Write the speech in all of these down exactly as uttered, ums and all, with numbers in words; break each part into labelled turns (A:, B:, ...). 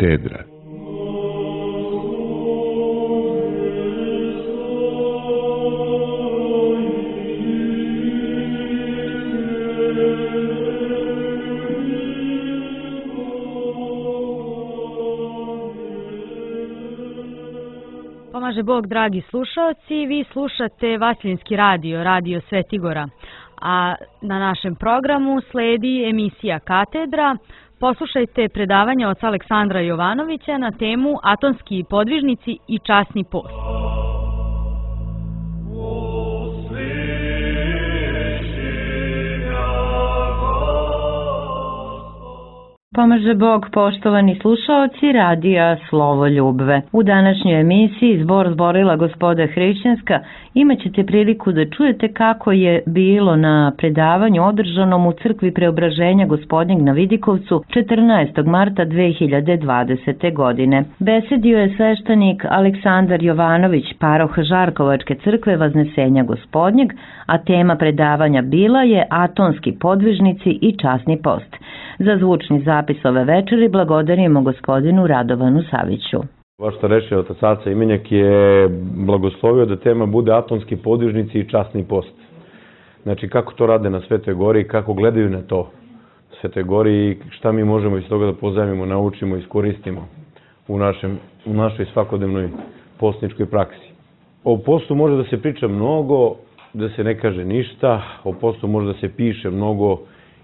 A: Katedra.
B: Pomaže Bog, dragi slušaoci, vi slušate Vasiljenski radio, radio Svetigora, a na našem programu sledi emisija Katedra. Poslušajte predavanje oca Aleksandra Jovanovića na temu Atonski podvižnici i časni post.
C: Pomaže Bog, poštovani slušaoci radija Slovo Ljubve. U današnjoj emisiji Zbor zborila Gospoda Hrišćanska imat ćete priliku da čujete kako je bilo na predavanju održanom u crkvi Preobraženja Gospodnjeg na Vidikovcu četrnaestog marta dve hiljade dvadesete. godine. Besedio je sveštenik Aleksandar Jovanović, paroh Žarkovačke crkve Vaznesenja Gospodnjeg, a tema predavanja bila je Atonski podvižnici i časni post. Za zvučni zapis ove večeri blagodarimo gospodinu Radovanu Saviću.
D: Vaš starešni otac Aca Imenjak je blagoslovio da tema bude Atonski podvižnici i časni post. Znači kako to rade na Svetoj Gori, kako gledaju na to Svetoj Gori i šta mi možemo iz toga da pozajmimo, naučimo, iskoristimo u, našem, u našoj svakodnevnoj postničkoj praksi. O postu može da se priča mnogo, da se ne kaže ništa, o postu može da se piše mnogo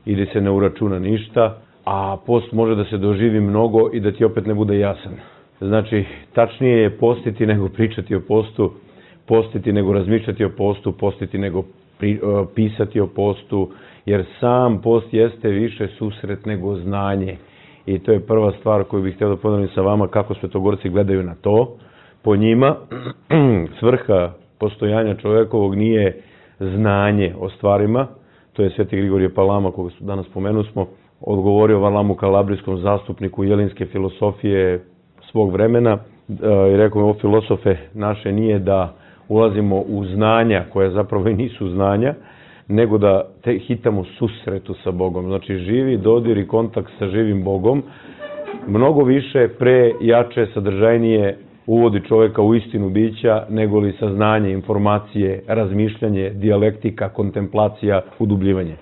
D: i da se ne uračuna ništa, a post može da se doživi mnogo i da ti opet ne bude jasan. Znači, tačnije je postiti nego pričati o postu, postiti nego razmišljati o postu, postiti nego pri, uh, pisati o postu, jer sam post jeste više susret nego znanje. I to je prva stvar koju bih htio da podelim sa vama, kako Svetogorci gledaju na to. Po njima, svrha postojanja čovekovog nije znanje o stvarima. To je Sveti Grigorije Palama, koga danas spomenuo smo, odgovorio Varlamu Kalabrijskom, zastupniku jelinske filosofije svog vremena i rekao mi, o filosofe naše nije da ulazimo u znanja koje zapravo i nisu znanja, nego da te hitamo susretu sa Bogom. Znači živi dodir i kontakt sa živim Bogom mnogo više, pre, jače, sadržajnije uvodi čovjeka u istinu bića, nego li saznanje, informacije, razmišljanje, dijalektika, kontemplacija, udubljivanje.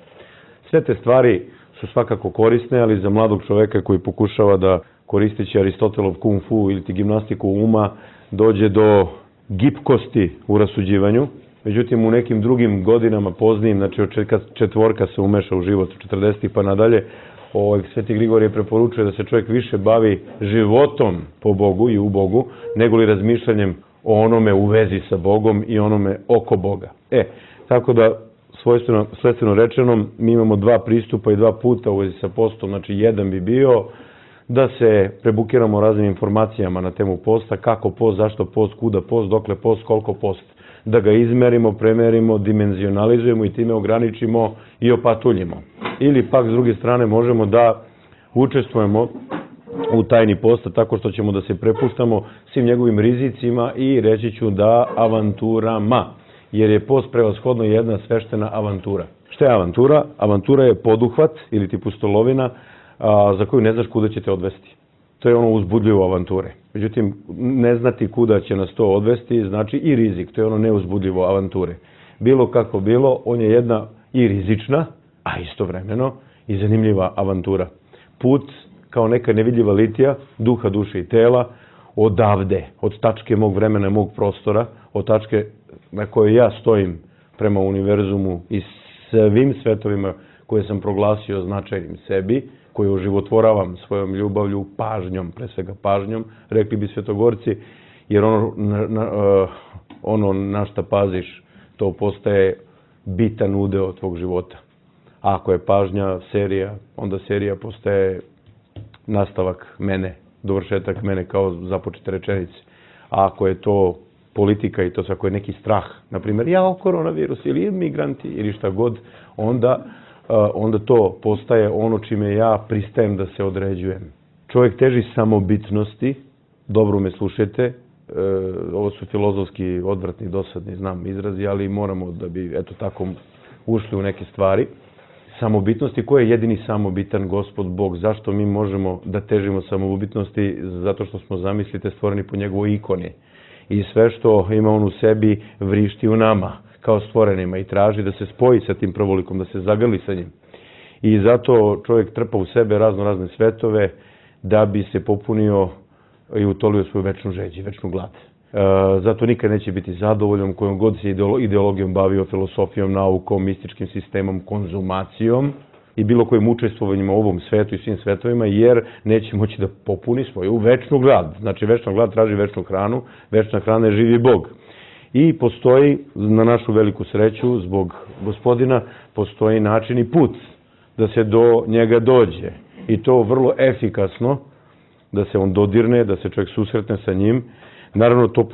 D: Sve te stvari su svakako korisne, ali za mladog čovjeka koji pokušava da, koristeći Aristotelov kung fu ili ti gimnastiku uma, dođe do gipkosti u rasuđivanju. Međutim, u nekim drugim godinama poznijim, znači od četvorka se umeša u život, od četrdesetih pa nadalje, Ovaj, Sveti Grigorije preporučuje da se čovjek više bavi životom po Bogu i u Bogu, nego li razmišljanjem o onome u vezi sa Bogom i onome oko Boga. E, tako da, svojstveno, svojstveno rečeno, mi imamo dva pristupa i dva puta u vezi sa postom. Znači, jedan bi bio da se prebukiramo raznim informacijama na temu posta, kako post, zašto post, kuda post, dokle post, koliko post. Da ga izmerimo, premerimo, dimenzionalizujemo i time ograničimo i opatuljimo. Ili pak, s druge strane, možemo da učestvujemo u tajni posta tako što ćemo da se prepuštamo svim njegovim rizicima i reći ću da avanturama, jer je post prevashodno jedna sveštena avantura. Šta je avantura? Avantura je poduhvat ili ti pustolovina a, za koju ne znaš kuda će te odvesti. To je ono uzbudljivo avanture. Međutim, ne znati kuda će nas to odvesti znači i rizik. To je ono neuzbudljivo avanture. Bilo kako bilo, on je jedna i rizična, a istovremeno i zanimljiva avantura. Put kao neka nevidljiva litija, duha, duše i tela, odavde, od tačke mog vremena, mog prostora, od tačke na kojoj ja stojim prema univerzumu i svim svetovima koje sam proglasio značajnim sebi, koje oživotvoravam svojom ljubavlju, pažnjom, pre svega pažnjom, rekli bi Svetogorci, jer ono na, na, ono na šta paziš, to postaje bitan udeo tvog života. A ako je pažnja serija, onda serija postaje nastavak mene, dovršetak mene kao započete rečenice. A ako je to politika i to ako je neki strah, na primjer, ja, koronavirus ili migranti ili šta god, onda onda to postaje ono čime ja pristajem da se određujem. Čovjek teži samobitnosti, dobro me slušajte, e, ovo su filozofski odvratni, dosadni, znam izrazi, ali moramo da bi, eto tako, ušli u neke stvari. samobitnosti. Ko je jedini samobitan? Gospod Bog. Zašto mi možemo da težimo samobitnosti? Zato što smo, zamislite, stvoreni po njegovoj ikoni. I sve što ima on u sebi vrišti u nama, kao stvorenima, i traži da se spoji sa tim prvolikom, da se zagrli sa njim. I zato čovjek trpa u sebe razno razne svetove da bi se popunio i utolio svoju večnu žeđu, večnu glad. E, zato nikad neće biti zadovoljan kojom god se ideologijom bavio, filosofijom, naukom, mističkim sistemom, konzumacijom i bilo kojim učestvovanjima u ovom svetu i svim svetovima, jer neće moći da popuni svoju večnu glad. Znači, večna glad traži večnu hranu, večna hrana je živi Bog. I postoji, na našu veliku sreću, zbog Gospodina, postoji način i put da se do njega dođe. I to vrlo efikasno, da se on dodirne, da se čovjek susretne sa njim. Naravno, to e,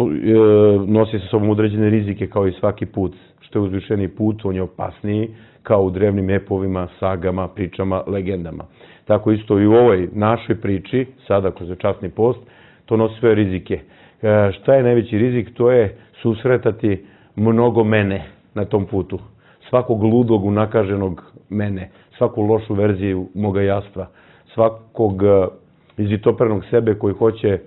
D: nosi sa sobom određene rizike, kao i svaki put. Što je uzvišeniji put, on je opasniji, kao u drevnim epovima, sagama, pričama, legendama. Tako isto i u ovoj našoj priči, sada kroz časni post, to nosi svoje rizike. E, šta je najveći rizik? To je susretati mnogo mene na tom putu. Svakog ludog, unakaženog mene, svaku lošu verziju moga jastva, svakog izvitopernog sebe koji hoće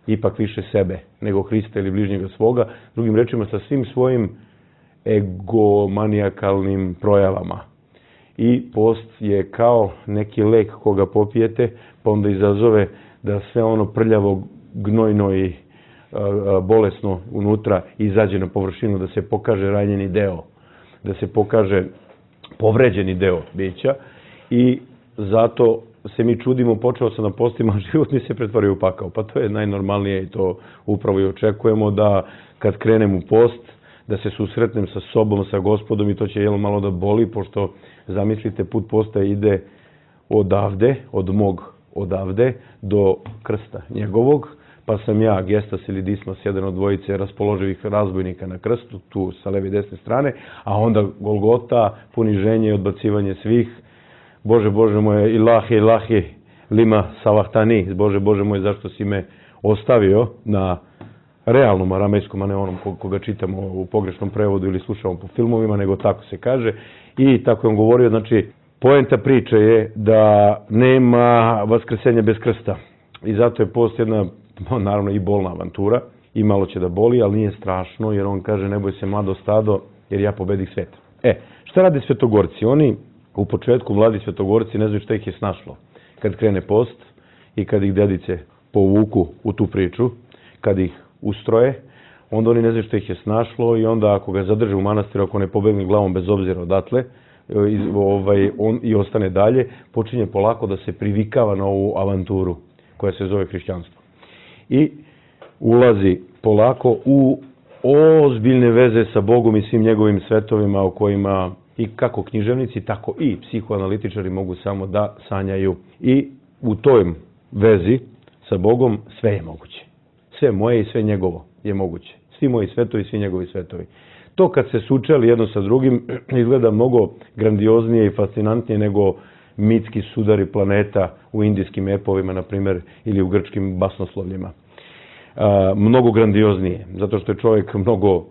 D: ipak više sebe nego Hrista ili bližnjega svoga, drugim rečima sa svim svojim egomanijakalnim projavama. I post je kao neki lek koga popijete, pa onda izazove da sve ono prljavo, gnojno i bolesno unutra izađe na površinu, da se pokaže ranjeni deo, da se pokaže povređeni deo bića, i zato se mi čudimo, počeo sam na postima, a život mi se pretvorio u pakao. Pa to je najnormalnije i to upravo i očekujemo, da kad krenem u post, da se susretnem sa sobom, sa Gospodom, i to će jel malo da boli, pošto zamislite, put posta ide odavde, od mog odavde do krsta njegovog, pa sam ja, Gestas ili Dismas, jedan od dvojice raspoloživih razbojnika na krstu, tu sa leve i desne strane, a onda Golgota, poniženje i odbacivanje svih. Bože, Bože moje, ilahi, ilahi, lima salahtani, Bože, Bože moje, zašto si me ostavio, na realnom aramejskom, a ne onom koga čitamo u pogrešnom prevodu ili slušamo po filmovima, nego tako se kaže. I tako je on govorio, znači, poenta priče je da nema vaskrsenja bez krsta. I zato je post jedna, naravno, i bolna avantura, i malo će da boli, ali nije strašno, jer on kaže, ne boj se mlado stado, jer ja pobedih svet. E, šta rade svetogorci? Oni u početku, mladi svetogorci, ne znaju šta ih je snašlo. Kad krene post i kad ih dedice povuku u tu priču, kad ih ustroje, onda oni ne znaju šta ih je snašlo, i onda ako ga zadrže u manastiru, ako ne pobegne glavom bez obzira odatle, ovaj, on i ostane dalje, počinje polako da se privikava na ovu avanturu koja se zove hrišćanstvo. I ulazi polako u ozbiljne veze sa Bogom i svim njegovim svetovima, o kojima i kako književnici, tako i psihoanalitičari mogu samo da sanjaju. I u toj vezi sa Bogom sve je moguće. Sve moje i sve njegovo je moguće. Svi moji svetovi, svi njegovi svetovi. To kad se sučeli jedno sa drugim izgleda mnogo grandioznije i fascinantnije nego mitski sudari planeta u indijskim epovima, na primjer, ili u grčkim basnoslovljima. A, mnogo grandioznije, zato što je čovjek mnogo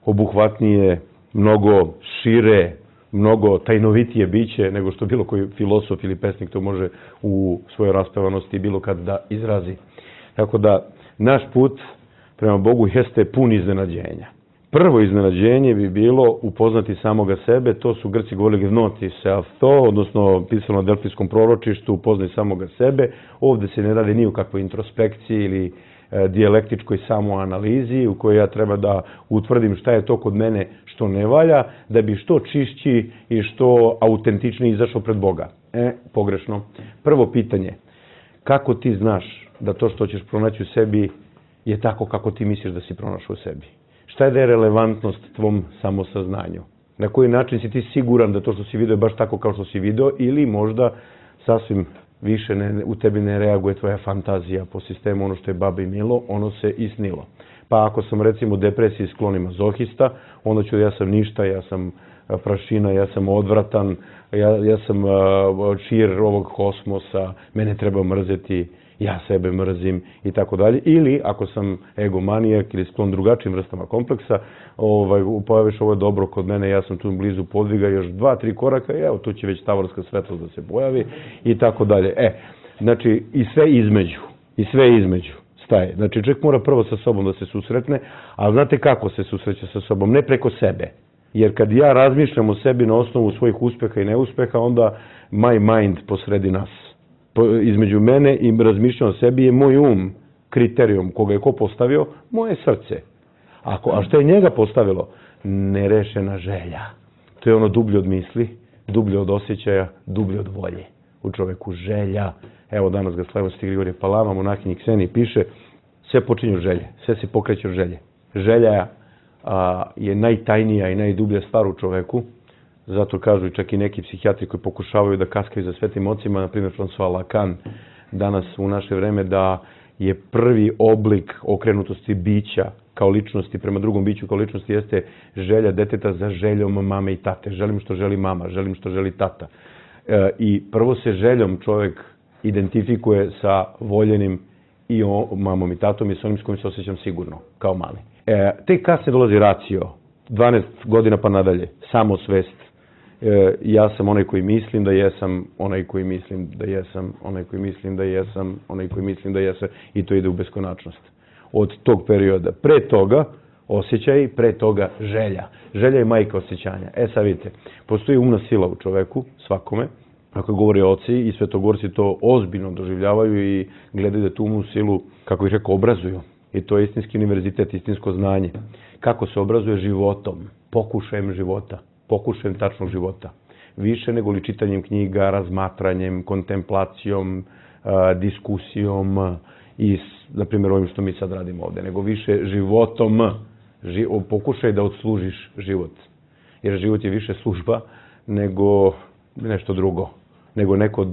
D: obuhvatnije, mnogo šire, mnogo tajnovitije biće nego što bilo koji filosof ili pesnik to može u svojoj raspevanosti bilo kad da izrazi. Tako da naš put prema Bogu jeste pun iznenađenja. Prvo iznenađenje bi bilo upoznati samoga sebe, to su Grci govorili gnoti self-to, odnosno pisano na delfijskom proročištu, upoznaj samoga sebe. Ovde se ne radi ni u kakvoj introspekciji ili e, dijalektičkoj samoanalizi u kojoj ja treba da utvrdim šta je to kod mene što ne valja, da bi što čišći i što autentičniji izašao pred Boga. E, pogrešno. Prvo pitanje, kako ti znaš da to što ćeš pronaći u sebi je tako kako ti misliš da si pronašao u sebi? Šta je da je relevantnost tvom samosaznanju? Na koji način si ti siguran da to što si vidio je baš tako kao što si vidio, ili možda sasvim više ne, u tebi ne reaguje tvoja fantazija po sistemu ono što je babi milo, ono se i snilo. Pa ako sam recimo u depresiji sklonim mazohista, onda ću ja sam ništa, ja sam prašina, ja sam odvratan, ja, ja sam uh, čir ovog kosmosa, mene treba mrzeti ja sebe mrzim i tako dalje. Ili ako sam egomanijak ili sklon drugačijim vrstama kompleksa, ovaj, pojaviš ovo je dobro kod mene, ja sam tu blizu podviga, još dva, tri koraka i evo tu će već tavorska svetlost da se pojavi i tako dalje. E, znači i sve između, i sve između staje. Znači čovjek mora prvo sa sobom da se susretne, a znate kako se susreće sa sobom? Ne preko sebe. Jer kad ja razmišljam o sebi na osnovu svojih uspeha i neuspeha, onda my mind posredi nas. Između mene i razmišljam o sebi je moj um kriterijum koga je ko postavio, moje srce. Ako, a što je njega postavilo? Nerešena želja. To je ono dublje od misli, dublje od osjećaja, dublje od volje. U čoveku želja. Evo danas ga slavimo Sveti Grigorije Palama, monahinji Kseniji piše, sve počinje od želje, sve se pokreće od želje. Želja a, je najtajnija i najdublja stvar u čoveku. Zato kažu i čak i neki psihijatri koji pokušavaju da kaskaju za svetim ocima, na primjer François Lacan, danas u naše vreme, da je prvi oblik okrenutosti bića kao ličnosti prema drugom biću kao ličnosti jeste želja deteta za željom mame i tate. Želim što želi mama, želim što želi tata. E, I prvo se željom čovjek identifikuje sa voljenim i o, mamom i tatom i s onim s kojim se osjećam sigurno, kao mali. E, tek kasnije dolazi racio, dvanaest godina pa nadalje, samosvest. E, ja sam onaj koji mislim da jesam, onaj koji mislim da jesam, onaj koji mislim da jesam, onaj koji mislim da jesam i to ide u beskonačnost. Od tog perioda. Pre toga osjećaj, pre toga želja. Želja je majka osjećanja. E sad vidite, postoji umna sila u čoveku, svakome, ako govori oci i svetogorci to ozbiljno doživljavaju i gledaju da tu umnu silu, kako bih rekao, obrazuju. I to je istinski univerzitet, istinsko znanje. Kako se obrazuje životom, pokušajem života, pokušajem tačnog života. Više nego li čitanjem knjiga, razmatranjem, kontemplacijom, diskusijom i, na primjer, ovim što mi sad radimo ovde, nego više životom, ži, pokušaj da odslužiš život. Jer život je više služba nego nešto drugo, nego neko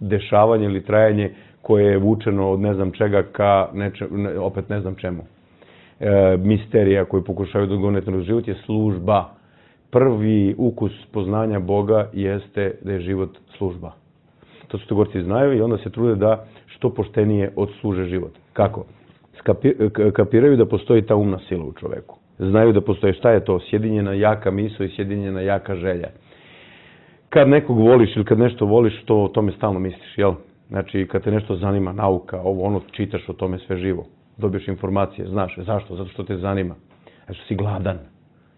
D: dešavanje ili trajanje koje je vučeno od ne znam čega ka neče, ne, opet ne znam čemu. E, misterija koju pokušaju da odgonete na život je služba. Prvi ukus poznanja Boga jeste da je život služba. To su Svetogorci znaju i onda se trude da što poštenije odsluže život. Kako? Skapi, kapiraju da postoji ta umna sila u čoveku. Znaju da postoji šta je to? Sjedinjena jaka misao i sjedinjena jaka želja. Kad nekog voliš ili kad nešto voliš, to o tome stalno misliš, jel? Znači, kad te nešto zanima, nauka, ovo, ono, čitaš o tome sve živo. Dobiješ informacije, znaš. Zašto? Zato što te zanima. Zato što si gladan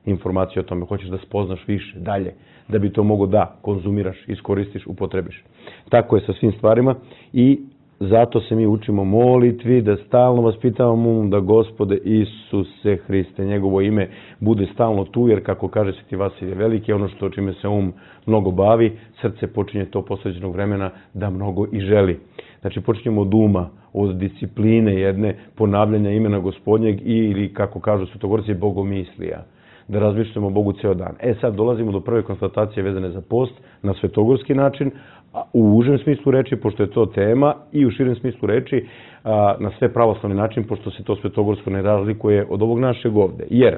D: informacije o tome. Hoćeš da spoznaš više, dalje. Da bi to mogo da konzumiraš, iskoristiš, upotrebiš. Tako je sa svim stvarima i zato se mi učimo molitvi, da stalno vaspitavamo um, da Gospode Isuse Hriste, njegovo ime, bude stalno tu, jer kako kaže Sveti Vasilije Veliki, ono što čime se um mnogo bavi, srce počinje to posvećenog vremena da mnogo i želi. Znači počinjemo od uma, od discipline jedne, ponavljanja imena Gospodnjeg i, ili kako kažu Svetogorci, bogomislija. Da razmišljamo o Bogu ceo dan. E sad dolazimo do prve konstatacije vezane za post na svetogorski način, u užem smislu reči, pošto je to tema, i u širem smislu reči na sve pravoslavni način, pošto se to svetogorsko ne razlikuje od ovog našeg ovde. Jer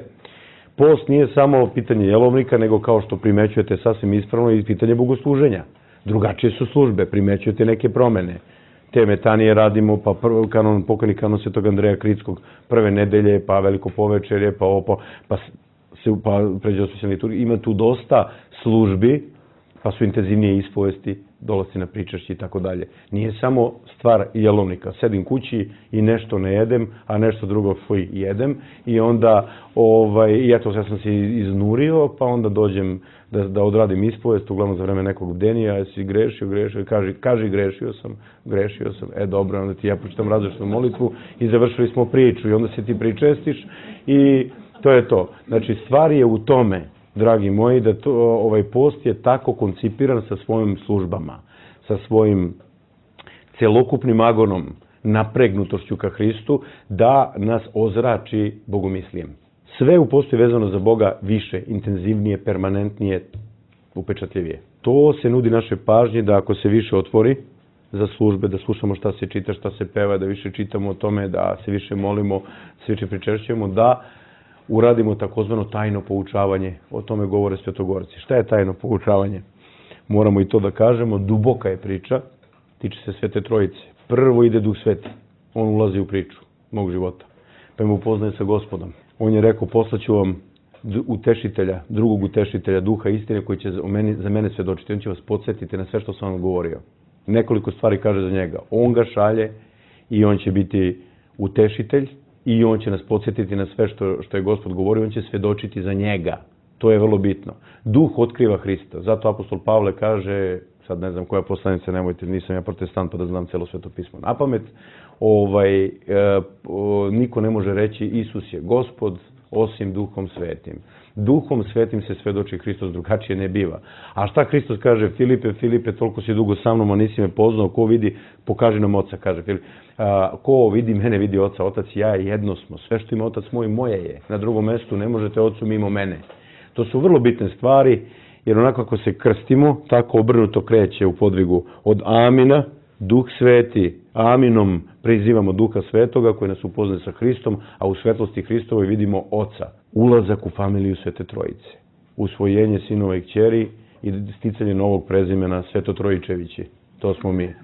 D: post nije samo pitanje jelovnika, nego kao što primećujete sasvim ispravno i pitanje bogosluženja. Drugačije su službe, primećujete neke promene. Te metanije radimo, pa kanon, pokojni kanon Svetog Andreja Kritskog, prve nedelje, pa veliko povečerje, pa opo, pa se pa pređe osvećena liturgija. Ima tu dosta službi, pa su intenzivnije ispovesti, dolasci na pričašće i tako dalje. Nije samo stvar jelovnika. Sedim kući i nešto ne jedem, a nešto drugo fuj jedem i onda, ovaj, i eto, ja sam se iznurio, pa onda dođem da, da odradim ispovest, uglavnom za vreme nekog denija, jesi grešio, grešio, kaži, kaži grešio sam, grešio sam, e dobro, onda ti ja pročitam različitu molitvu i završili smo priču i onda se ti pričestiš i to je to. Znači, stvar je u tome, dragi moji, da to, ovaj post je tako koncipiran sa svojim službama, sa svojim celokupnim agonom, napregnutošću ka Hristu, da nas ozrači bogomislijem. Sve u postu je vezano za Boga više, intenzivnije, permanentnije, upečatljivije. To se nudi naše pažnje da ako se više otvori za službe, da slušamo šta se čita, šta se peva, da više čitamo o tome, da se više molimo, se više pričešćujemo, da uradimo takozvano tajno poučavanje. O tome govore svetogorci. Šta je tajno poučavanje? Moramo i to da kažemo. Duboka je priča, tiče se Svete Trojice. prvo ide Duh Sveti. On ulazi u priču mog života. Pa me upoznaje sa Gospodom. On je rekao, poslaću vam utešitelja, drugog utešitelja, duha istine koji će za mene, za mene svedočiti. On će vas podsjetiti na sve što sam vam govorio. Nekoliko stvari kaže za njega. On ga šalje i on će biti utešitelj i on će nas podsjetiti na sve što, što je Gospod govorio. On će svedočiti za njega. To je vrlo bitno. Duh otkriva Hrista. Zato apostol Pavle kaže, sad ne znam koja poslanica, nemojte, nisam ja protestant pa da znam celo Sveto pismo na pamet, ovaj, e, o, niko ne može reći Isus je Gospod osim Duhom Svetim. Duhom Svetim se svedoči Hristos, drugačije ne biva. A šta Hristos kaže? Filipe, Filipe, toliko si dugo sa mnom, a nisi me poznao, ko vidi, pokaži nam Oca, kaže Filip. A, ko vidi mene, vidi Oca, Otac i ja jedno smo. Sve što ima Otac moj, moje je. Na drugom mestu ne možete Ocu mimo mene. To su vrlo bitne stvari, jer onako kako se krstimo, tako obrnuto kreće u podvigu od Amina, Duh Sveti, Aminom prizivamo Duha Svetoga koji nas upoznaje sa Hristom, a u svetlosti Hristovoj vidimo Oca. Ulazak u familiju Svete Trojice, usvojenje sinova i kćeri i sticanje novog prezimena Svetotrojičevići. To smo mi,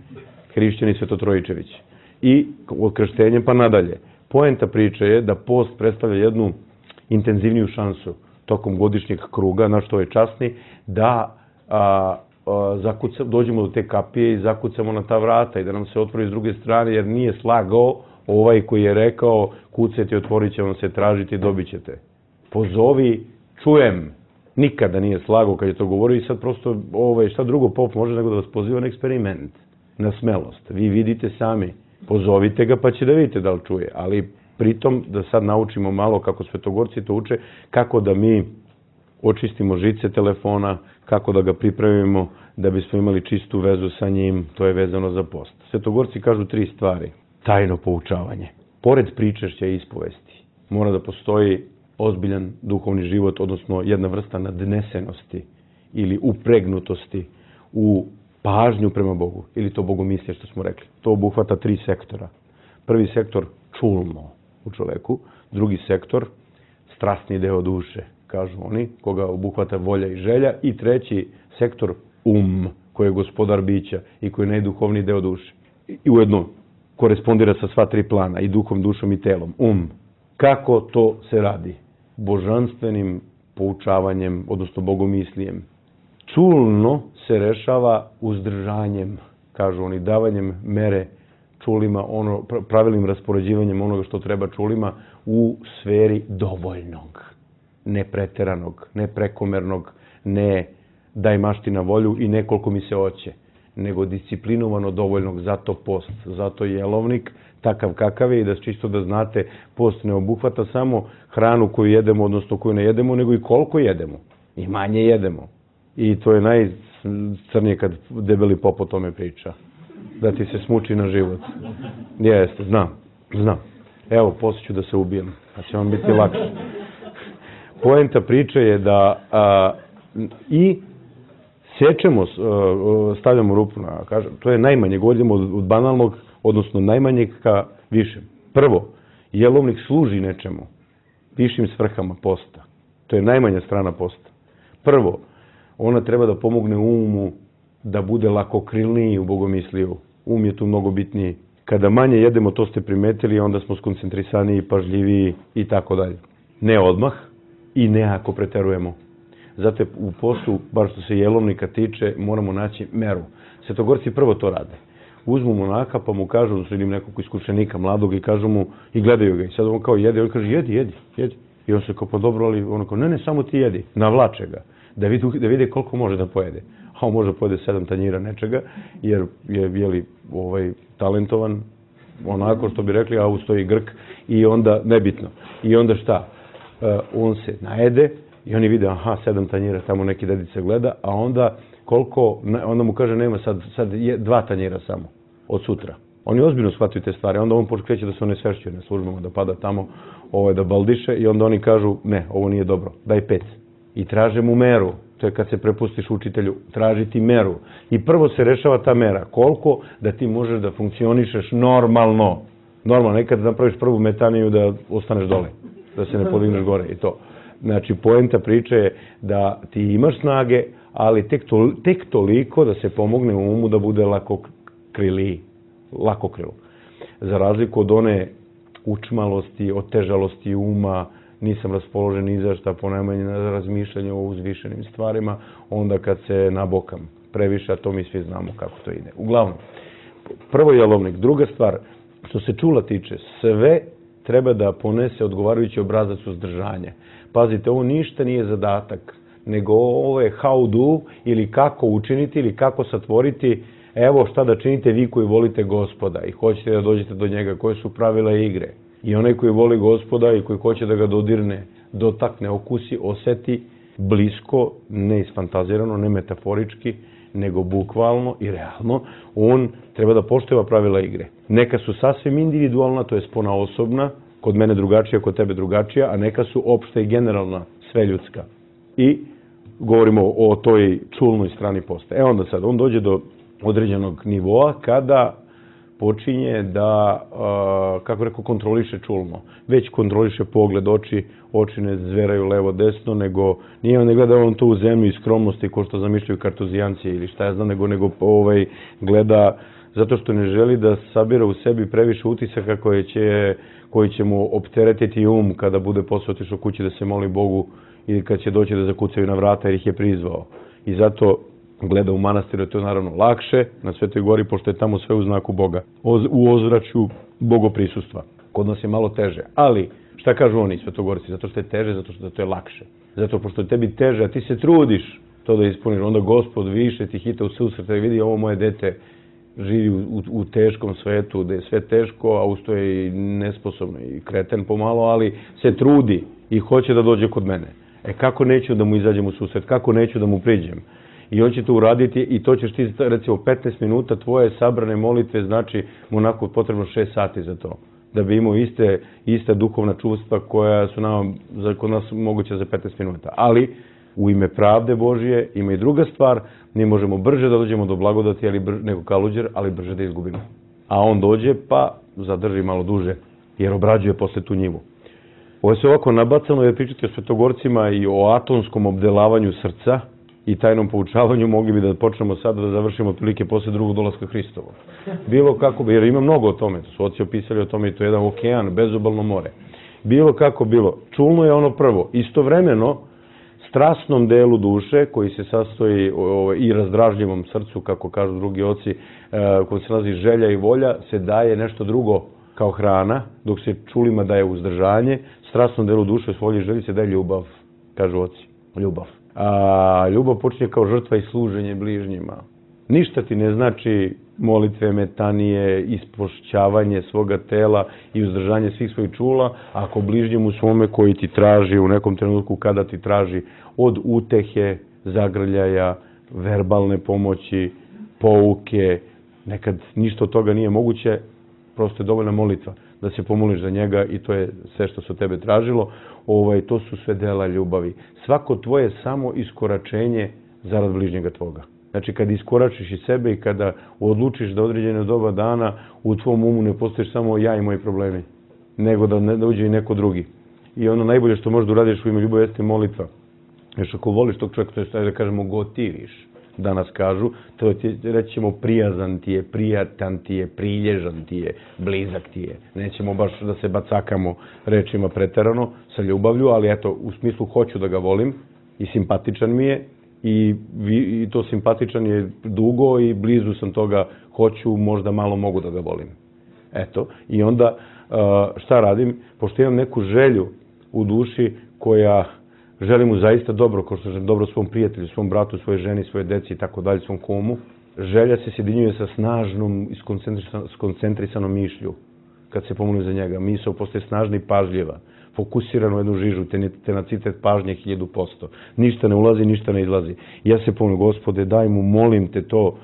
D: hrišćani Svetotrojičevići. I od krštenja pa nadalje. Poenta priče je da post predstavlja jednu intenzivniju šansu tokom godišnjeg kruga, na što je časni, da a, a, zakuca, dođemo do te kapije i zakucamo na ta vrata i da nam se otvori s druge strane, jer nije slagao ovaj koji je rekao kucajte i otvorit će vam se, tražiti i dobit ćete. Pozovi, čujem. Nikada nije slagao kad je to govorio i sad prosto ovaj, šta drugo pop može nego da vas poziva na eksperiment, na smelost. Vi vidite sami, pozovite ga pa će da vidite da li čuje, ali pritom da sad naučimo malo kako svetogorci to uče, kako da mi očistimo žice telefona, kako da ga pripremimo da bismo imali čistu vezu sa njim, to je vezano za post. Svetogorci kažu tri stvari. Tajno poučavanje. Pored pričešća i ispovesti mora da postoji ozbiljan duhovni život, odnosno jedna vrsta nadnesenosti ili upregnutosti u pažnju prema Bogu, ili to bogomislje što smo rekli. To obuhvata tri sektora. Prvi sektor čulno u čoveku, drugi sektor strasni deo duše, kažu oni, koga obuhvata volja i želja, i treći sektor um, koji je gospodar bića i koji je najduhovniji deo duše. I ujedno korespondira sa sva tri plana, i duhom, dušom i telom. Um. Kako to se radi? Božanstvenim poučavanjem, odnosno bogomislijem. Čulno se rešava uzdržanjem, kažu oni, davanjem mere čulima, ono, pravilnim raspoređivanjem onoga što treba čulima u sferi dovoljnog, ne preteranog, ne prekomernog, ne daj mašti na volju i nekoliko mi se hoće, nego disciplinovano dovoljnog, zato post, zato jelovnik, takav kakav je, i da čisto da znate, post ne obuhvata samo hranu koju jedemo, odnosno koju ne jedemo, nego i koliko jedemo, i manje jedemo. I to je najcrnije kad debeli pop o tome priča. Da ti se smuči na život. Jeste, znam, znam. Evo, poslije ću da se ubijem, pa će vam biti lakše. Poenta priče je da a, i sečemo, a, stavljamo rupu na, kažem, to je najmanje, govorimo od, od banalnog, odnosno najmanjeg ka višem. Prvo, jelovnik služi nečemu, višim svrhama posta. To je najmanja strana posta. Prvo, ona treba da pomogne umu da bude lakokrilniji u bogomisliju. Um je tu mnogo bitniji. Kada manje jedemo, to ste primetili, onda smo skoncentrisaniji, pažljiviji i tako dalje. Ne odmah i ne ako preterujemo. Zato u postu, bar što se jelovnika tiče, moramo naći meru. Svetogorci prvo to rade. Uzmu monaka pa mu kažu, odnosno ili nekog iskušenika mladog, i kažu mu, i gledaju ga. I sad on kao jede, on kaže jedi, jedi, jedi. I on se kao, pa dobro, ali on kao, ne, ne, samo ti jedi. Navlače ga. Da vidi, da vidi koliko može da pojede. A on može pojede sedam tanjira nečega, jer je, jeli, ovaj, talentovan, onako što bi rekli, a ustoji Grk, i onda, nebitno. I onda šta? Uh, on se najede i oni vide, aha, sedam tanjira, tamo neki dedica gleda, a onda koliko, onda mu kaže, nema sad, sad je dva tanjira samo, od sutra. Oni ozbiljno shvataju te stvari, onda on kreće da se one svešćuje na službama, da pada tamo, ovaj, da baldiše, i onda oni kažu, ne, ovo nije dobro, daj pet. I traže mu meru. To je kad se prepustiš učitelju, tražiti meru. I prvo se rešava ta mera. Koliko da ti možeš da funkcionišeš normalno. Normalno, nekad napraviš prvu metaniju da ostaneš dole, da se ne podigneš gore i to. Znači, poenta priče je da ti imaš snage, ali tek, to, tek toliko da se pomogne umu da bude lako kriliji. lakokrilo. Za razliku od one učmalosti, otežalosti uma, nisam raspoložen ni za šta, ponajmanje na razmišljanje o uzvišenim stvarima, onda kad se nabokam previše, a to mi svi znamo kako to ide. Uglavnom, prvo jelovnik. Druga stvar, što se čula tiče, sve treba da ponese odgovarajući obrazac uzdržanja. Pazite, ovo ništa nije zadatak, nego ovo je how do ili kako učiniti ili kako satvoriti. Evo šta da činite vi koji volite Gospoda i hoćete da dođete do njega, koje su pravila igre. I onaj koji voli Gospoda i koji hoće da ga dodirne, dotakne, okusi, oseti blisko, ne isfantazirano, ne metaforički, nego bukvalno i realno, on treba da pošteva pravila igre. Neka su sasvim individualna, to je spona osobna, kod mene drugačija, kod tebe drugačija, a neka su opšta i generalna, sve ljudska. I govorimo o toj čulnoj strani posta. E onda sad, on dođe do određenog nivoa kada počinje da, kako rekao, kontroliše čulno. Već kontroliše pogled, oči, oči ne zveraju levo-desno, nego nije on ne gleda on to u zemlju i skromnosti ko što zamišljaju kartuzijanci ili šta ja znam, nego, nego ovaj, gleda zato što ne želi da sabira u sebi previše utisaka koje će, koji će mu opteretiti um kada bude posle otišao kući da se moli Bogu ili kad će doći da zakucaju na vrata jer ih je prizvao. I zato gleda u manastiru, to je naravno lakše na Svetoj gori, pošto je tamo sve u znaku Boga, u ozračju bogoprisustava. Kod nas je malo teže, ali šta kažu oni svetogorci? Zato što je teže, zato što to je lakše. Zato pošto je tebi teže, a ti se trudiš to da ispuniš, onda Gospod više ti hita u susret i vidi ovo moje dete živi u, u, u teškom svetu, da je sve teško, a usto je i nesposobno i kreten pomalo, ali se trudi i hoće da dođe kod mene. E kako neću da mu izađem u susret, kako neću da mu priđem? I on će to uraditi i to ćeš ti, recimo, petnaest minuta tvoje sabrane molitve, znači mu onako potrebno šest sati za to. Da bi imao iste, iste duhovna čustva koja su nam, za, kod nas moguće za petnaest minuta. Ali, u ime pravde Božije, ima i druga stvar, mi možemo brže da dođemo do blagodati ali brže, nego kaluđer, ali brže da izgubimo. A on dođe pa zadrži malo duže, jer obrađuje posle tu njivu. Ovo je se ovako nabacano jer pričati o svetogorcima i o atomskom obdelavanju srca i tajnom poučavanju, mogli bi da počnemo sada da završimo otprilike posle drugog dolaska Hristovog. Bilo kako bi, jer ima mnogo o tome, to su oci opisali o tome i to je jedan okean, bezobalno more. Bilo kako bilo, čulno je ono prvo, istovremeno strasnom delu duše koji se sastoji o, i razdražljivom srcu, kako kažu drugi oci, e, koji se nalazi želja i volja, se daje nešto drugo kao hrana, dok se čulima daje uzdržanje, strasnom delu duše svoje želji se daje ljubav, kažu oci, ljubav. A ljubav počinje kao žrtva i služenje bližnjima. Ništa ti ne znači molitve, metanije, ispošćavanje svoga tela i uzdržanje svih svojih čula, ako bližnjemu svome koji ti traži u nekom trenutku kada ti traži od utehe, zagrljaja, verbalne pomoći, pouke, nekad ništa od toga nije moguće, prosto je dovoljna molitva da se pomoliš za njega i to je sve što se od tebe tražilo. Ovaj, to su sve dela ljubavi. Svako tvoje samo iskoračenje zarad bližnjega tvoga. Znači, kada iskoračiš iz sebe i kada odlučiš da određene doba dana u tvom umu ne postojiš samo ja i moji problemi, nego da ne dođe i neko drugi. I ono najbolje što možeš da uradiš u ime ljubavi jeste molitva. Još ako voliš tog čovjeka, to je šta da kažemo gotiviš, danas kažu, to ti, reći ćemo prijazan ti je, prijatan ti je, prilježan ti je, blizak ti je. Nećemo baš da se bacakamo rečima preterano sa ljubavlju, ali eto, u smislu hoću da ga volim i simpatičan mi je i, i to simpatičan je dugo i blizu sam toga, hoću, možda malo mogu da ga volim. Eto, i onda šta radim? Pošto imam neku želju u duši koja želim mu zaista dobro, kao što želim dobro svom prijatelju, svom bratu, svojoj ženi, svoje deci i tako dalje, svom kumu. Želja se sjedinjuje sa snažnom i skoncentrisanom mišlju kad se pomolim za njega. Misao postaje snažna i pažljiva, fokusirana u jednu žižu, tenacitet pažnje hiljadu posto. Ništa ne ulazi, ništa ne izlazi. Ja se pomolim, Gospode, daj mu, molim te to,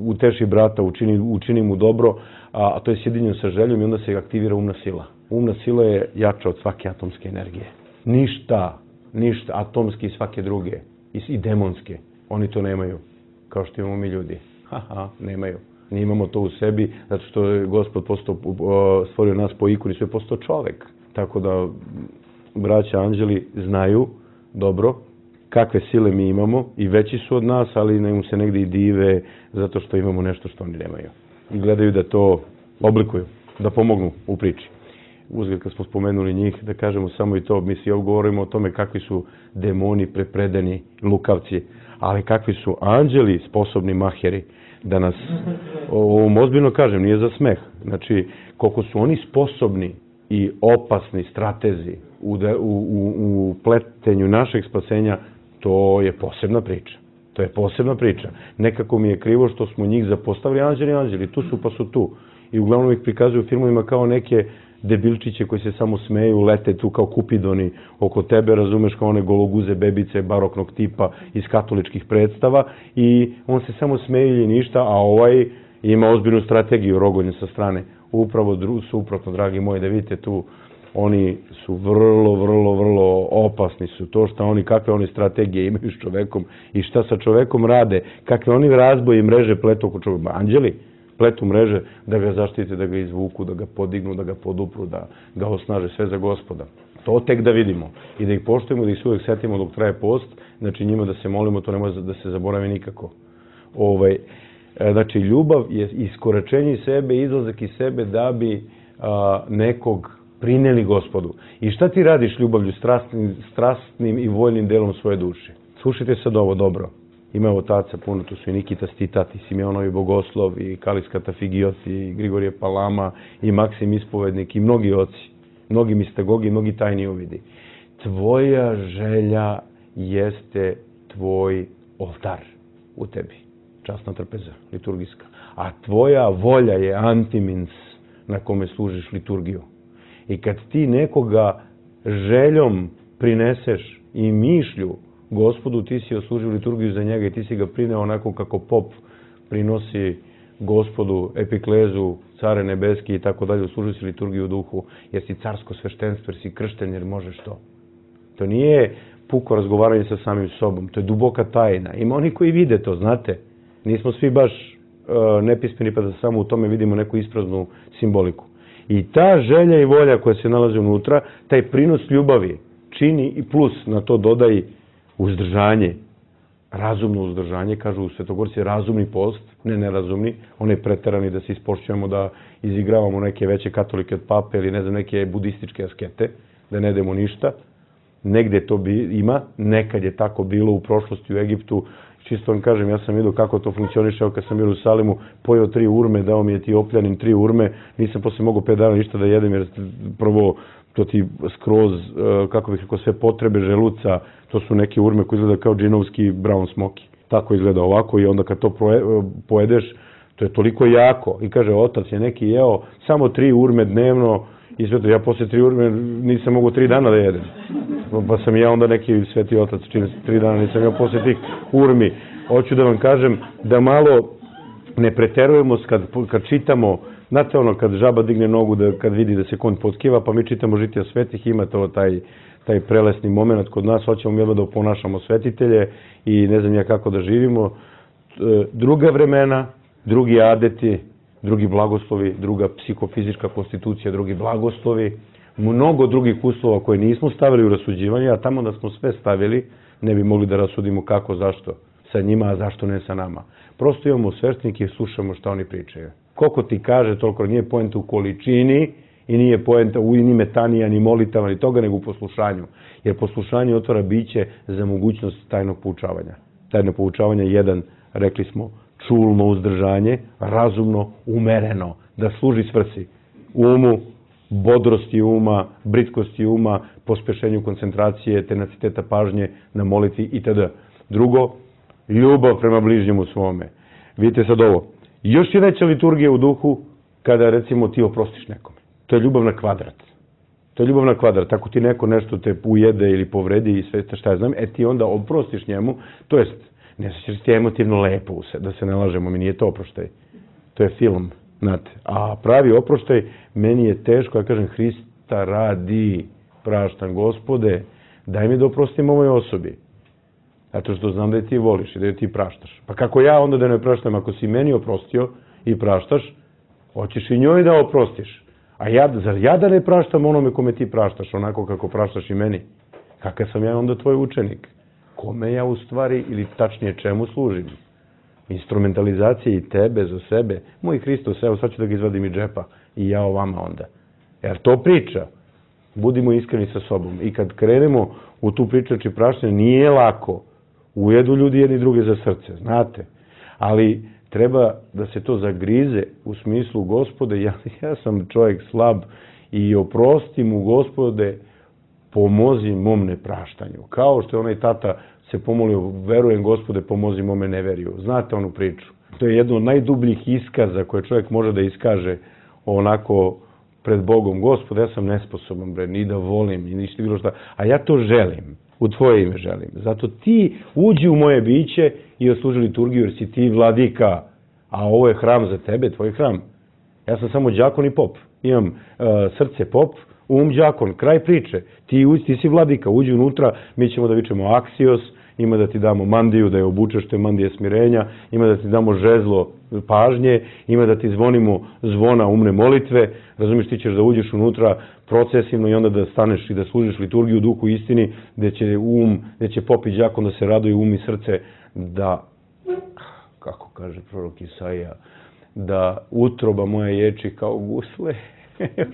D: uteši brata, učini, učini mu dobro, a, a to je sjedinjeno sa željom i onda se aktivira umna sila. Umna sila je jača od svake atomske energije. Ništa, ništa, atomski i svake druge, i, i demonske, oni to nemaju, kao što imamo mi ljudi. Haha, nemaju. Mi imamo to u sebi, zato što je Gospod postao, stvorio nas po ikoni, sve postao čovek. Tako da, braća anđeli znaju dobro kakve sile mi imamo i veći su od nas, ali nam se negdje i dive zato što imamo nešto što oni nemaju. i gledaju da to oblikuju, da pomognu u priči. Uzgled kad smo spomenuli njih, da kažemo samo i to, mi svi govorimo o tome kakvi su demoni prepredeni lukavci, ali kakvi su anđeli sposobni maheri, da nas, ovom ozbiljno kažem, nije za smeh, znači koliko su oni sposobni i opasni stratezi u, u, u pletenju našeg spasenja, to je posebna priča. To je posebna priča. Nekako mi je krivo što smo njih zapostavili, anđeli, anđeli, tu su pa su tu. I uglavnom ih prikazuju u filmovima kao neke debilčiće koji se samo smeju, lete tu kao kupidoni oko tebe, razumeš, kao one gologuze bebice baroknog tipa iz katoličkih predstava i on se samo smeje i ništa, a ovaj ima ozbiljnu strategiju rogonje sa strane. Upravo suprotno, dragi moji, da vidite tu, oni su vrlo, vrlo, vrlo opasni su. To što oni, kakve oni strategije imaju s čovekom i šta sa čovekom rade, kakve oni razboje i mreže pletu oko čoveka. Anđeli pletu mreže da ga zaštite, da ga izvuku, da ga podignu, da ga podupru, da ga osnaže, sve za Gospoda. To tek da vidimo i da ih poštujemo, da ih uvek setimo dok traje post, znači njima da se molimo, to ne može da se zaboravi nikako. Ovaj, znači, ljubav je iskoračenje iz sebe, izlazak iz sebe da bi a, nekog prineli Gospodu. I šta ti radiš ljubavlju, strastnim, strastnim i voljnim delom svoje duše? Slušajte sad ovo dobro. Ima otaca puno, tu su i Nikita Stitat, i Simeonovi Bogoslov, i Kalis Katafigios, i Grigorije Palama, i Maksim Ispovednik, i mnogi oci, mnogi mistagogi, mnogi tajni uvidi. Tvoja želja jeste tvoj oltar u tebi. Časna trpeza, liturgijska. A tvoja volja je antimins na kome služiš liturgiju. I kad ti nekoga željom prineseš i mišlju Gospodu, ti si oslužio liturgiju za njega i ti si ga prineo onako kako pop prinosi Gospodu, epiklezu, care nebeski i tako dalje, oslužio si liturgiju u duhu, jer si carsko sveštenstvo, jer si kršten, jer možeš to. To nije puko razgovaranje sa samim sobom, to je duboka tajna. Ima oni koji vide to, znate. Nismo svi baš uh, nepismeni pa da samo u tome vidimo neku ispraznu simboliku. I ta želja i volja koja se nalazi unutra, taj prinos ljubavi čini i plus na to dodaj uzdržanje, razumno uzdržanje, kažu u Svetogorci razumni post, ne nerazumni, onaj preterani da se ispošćujemo, da izigravamo neke veće katolike od pape ili ne znam, neke budističke askete, da ne demo ništa. Negde to bi, ima, nekad je tako bilo u prošlosti u Egiptu. Čisto vam kažem, ja sam vidio kako to funkcioniše, kad sam bio u Jerusalimu, pojeo tri urme, dao mi je ti opljanin tri urme, nisam posle mogao pet dana ništa da jedem, jer prvo to ti skroz, kako bih rekao, sve potrebe želuca, to su neke urme koje izgleda kao džinovski brown smoky. Tako izgleda ovako i onda kad to pojedeš, to je toliko jako. I kaže, otac je neki jeo samo tri urme dnevno i sve to. Ja posle tri urme nisam mogao tri dana da jedem. Pa sam ja onda neki sveti otac, čini tri dana nisam ja posle tih urmi. Hoću da vam kažem da malo ne preterujemo kad, kad čitamo. Znate ono, kad žaba digne nogu, da, kad vidi da se konj potkiva, pa mi čitamo žitija svetih, ima to taj, taj prelesni moment kod nas, hoćemo mi da oponašamo svetitelje i ne znam ja kako da živimo. Druga vremena, drugi adeti, drugi blagoslovi, druga psihofizička konstitucija, drugi blagoslovi, mnogo drugih uslova koje nismo stavili u rasuđivanje, a tamo da smo sve stavili, ne bi mogli da rasudimo kako, zašto sa njima, a zašto ne sa nama. Prosto imamo sveštenike i slušamo šta oni pričaju. Koliko ti kaže, toliko nije poenta u količini i nije poenta u ni metanija, ni molitava, ni toga, nego u poslušanju. Jer poslušanje otvara biće za mogućnost tajnog poučavanja. Tajno poučavanje je jedan, rekli smo, čulno uzdržanje, razumno, umereno, da služi svrsi. Umu, bodrosti uma, britkosti uma, pospešenju koncentracije, tenaciteta pažnje na molitvi itd. Drugo, ljubav prema bližnjemu svome. Vidite sad ovo. Još je veća liturgija u duhu kada, recimo, ti oprostiš nekome. To je ljubav na kvadrat. To je ljubav na kvadrat. Ako ti neko nešto te ujede ili povredi i sve šta ja znam, e ti onda oprostiš njemu, to jest, ne se ti emotivno lepo, da se ne lažemo, mi nije to oproštaj. To je film, znate. A pravi oproštaj, meni je teško, ja kažem, Hrista radi, praštam Gospode, daj mi da oprostim ovoj osobi. Zato što znam da je ti voliš i da je ti praštaš. Pa kako ja onda da ne praštam, ako si meni oprostio i praštaš, hoćeš i njoj da oprostiš. A ja, zar ja da ne praštam onome kome ti praštaš, onako kako praštaš i meni? Kakav sam ja onda tvoj učenik? Kome ja u stvari, ili tačnije čemu služim? instrumentalizacije i tebe za sebe. Moj Hristos, evo sad ću da ga izvadim iz džepa i ja o vama onda. Jer to priča. Budimo iskreni sa sobom. I kad krenemo u tu priču, znači praštanje, nije lako. Ujedu ljudi jedni druge za srce, znate. Ali treba da se to zagrize u smislu, Gospode, ja, ja sam čovjek slab i oprosti mu, Gospode, pomozi mom nepraštanju. Kao što je onaj tata se pomolio, verujem, Gospode, pomozi mome neveriju. Znate onu priču. To je jedno od najdubljih iskaza koje čovjek može da iskaže onako pred Bogom. Gospode, ja sam nesposoban, bre, ni da volim, ni ništa bilo šta. A ja to želim. U tvoje ime želim. Zato ti uđi u moje biće i osluži liturgiju, jer si ti vladika. A ovo je hram za tebe, tvoj hram. Ja sam samo đakon i pop. Imam uh, srce pop, um đakon, kraj priče. Ti, ti si vladika, uđi unutra, mi ćemo da vičemo aksios, ima da ti damo mandiju, da je obučeš, to je mandije smirenja, ima da ti damo žezlo pažnje, ima da ti zvonimo zvona umne molitve, razumiješ, ti ćeš da uđeš unutra procesivno i onda da staneš i da služiš liturgiju u duhu istini, gde će um, gde će pop i đakon da se raduju, um i srce, da, kako kaže prorok Isaija, da utroba moja ječi kao gusle,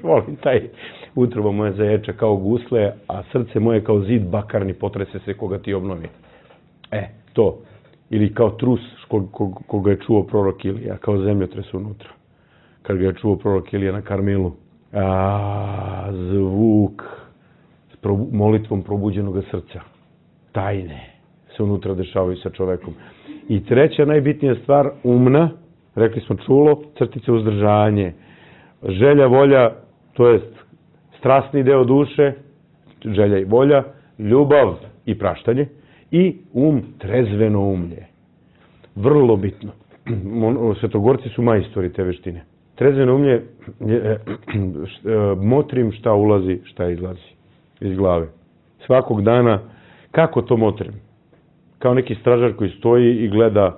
D: volim taj, utroba moja zaječe kao gusle, a srce moje kao zid bakarni potrese se koga ti obnovi. E, to. Ili kao trus koga ko, ko je čuo prorok Ilija, kao zemljotres unutra. Kad ga je čuo prorok Ilija na Karmilu. A, zvuk s probu, molitvom probuđenog srca. Tajne se unutra dešavaju sa čovekom. I treća najbitnija stvar, umna, rekli smo čulo, crtice uzdržanje. Želja, volja, to jest strasni deo duše, želja i volja, ljubav i praštanje, i um, trezveno umlje. Vrlo bitno. Svetogorci su majstori te veštine. Trezveno umlje, motrim šta ulazi, šta izlazi iz glave. Svakog dana, kako to motrim? Kao neki stražar koji stoji i gleda,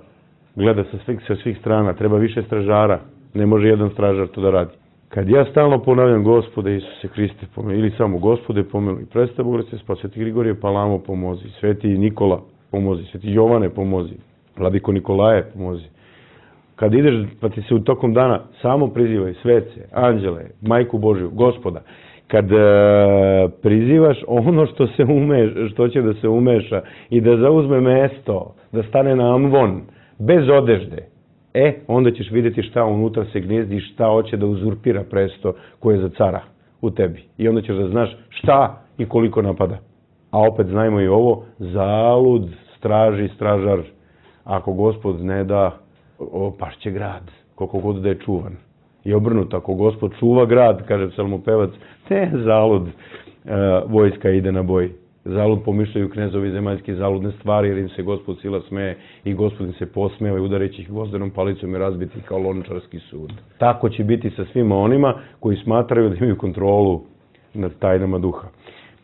D: gleda sa svih, sa svih strana. Treba više stražara. Ne može jedan stražar to da radi. Kad ja stalno ponavljam Gospode Isuse Hriste pomili, ili samo Gospode pomili, predstav Bogorce spas, Sveti Grigorije Palamo pomozi, Sveti Nikola pomozi, Sveti Jovane pomozi, Vladiko Nikolaje pomozi. Kad ideš, pa ti se u tokom dana samo prizivaj svece, anđele, Majku Božju, Gospoda. Kad e, prizivaš ono što se umeš, što će da se umeša i da zauzme mesto, da stane na amvon, bez odežde, e, onda ćeš vidjeti šta unutra se gnjezdi i šta hoće da uzurpira presto koje je za cara u tebi. I onda ćeš da znaš šta i koliko napada. A opet znajmo i ovo, zalud straži stražar. Ako Gospod ne da, o, pašće grad, koliko god da je čuvan. I obrnuto, ako Gospod čuva grad, kaže psalmopevac, ne, zalud, e, vojska ide na boj. Zalud pomišljaju knezovi zemaljski zaludne stvari, jer im se Gospod sila smeje i Gospod im se posmeva i udareći ih gvozdenom palicom i razbiti kao lončarski sud. Tako će biti sa svima onima koji smatraju da imaju kontrolu nad tajnama duha.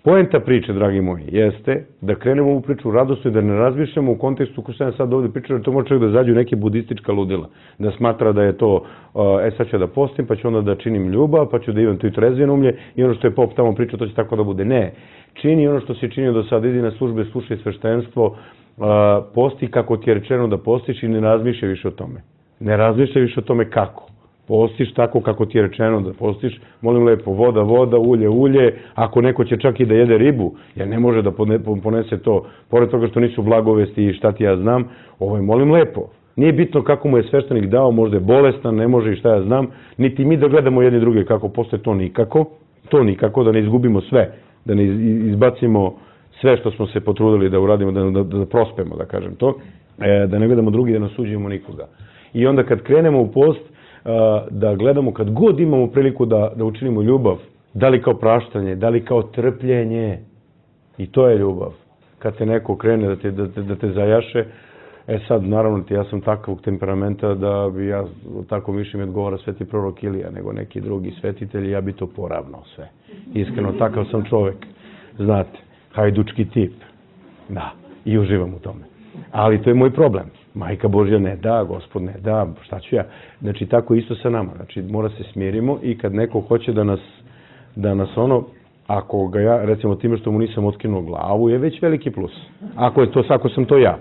D: Poenta priče, dragi moji, jeste da krenemo u priču radosno i da ne razmišljamo u kontekstu ko što sam sad ovdje pričao, jer to može čak da zađu neke budistička ludila. Da smatra da je to, e sad ću da postim, pa ću onda da činim ljubav, pa ću da imam tu i trezveno umlje i ono što je pop tamo pričao, to će tako da bude. Ne. Čini ono što si činio do sada, idi na službe, slušaj sveštenstvo, posti kako ti je rečeno da postiš i ne razmišljaj više o tome. Ne razmišljaj više o tome kako. Postiš tako kako ti je rečeno da postiš, molim lepo, voda, voda, ulje, ulje, ako neko će čak i da jede ribu, jer ne može da ponese to, pored toga što nisu blagovesti i šta ti ja znam, ovo je molim lepo. Nije bitno kako mu je sveštenik dao, možda je bolestan, ne može i šta ja znam, niti mi da gledamo jedni druge kako postoje, to nikako, to nikako, da ne izgubimo sve, da ne izbacimo sve što smo se potrudili da uradimo, da, da, da prospemo, da kažem to, e, da ne gledamo drugi, da ne osuđujemo nikoga. I onda kad krenemo u post, da gledamo kad god imamo priliku da, da učinimo ljubav, da li kao praštanje, da li kao trpljenje, i to je ljubav. Kad te neko krene da te, da te, da te zajaše, e sad, naravno, ja sam takvog temperamenta da bi ja, tako više mi odgovara sveti prorok Ilija nego neki drugi svetitelji, ja bi to poravnao sve. Iskreno, takav sam čovjek, znate, hajdučki tip, da, i uživam u tome. Ali to je moj problem. Majka Božja ne da, Gospod ne da, šta ću ja? Znači, tako isto sa nama. Znači, mora se smirimo i kad neko hoće da nas, da nas ono, ako ga ja, recimo time što mu nisam otkinuo glavu, je već veliki plus. Ako je to, ako sam to ja.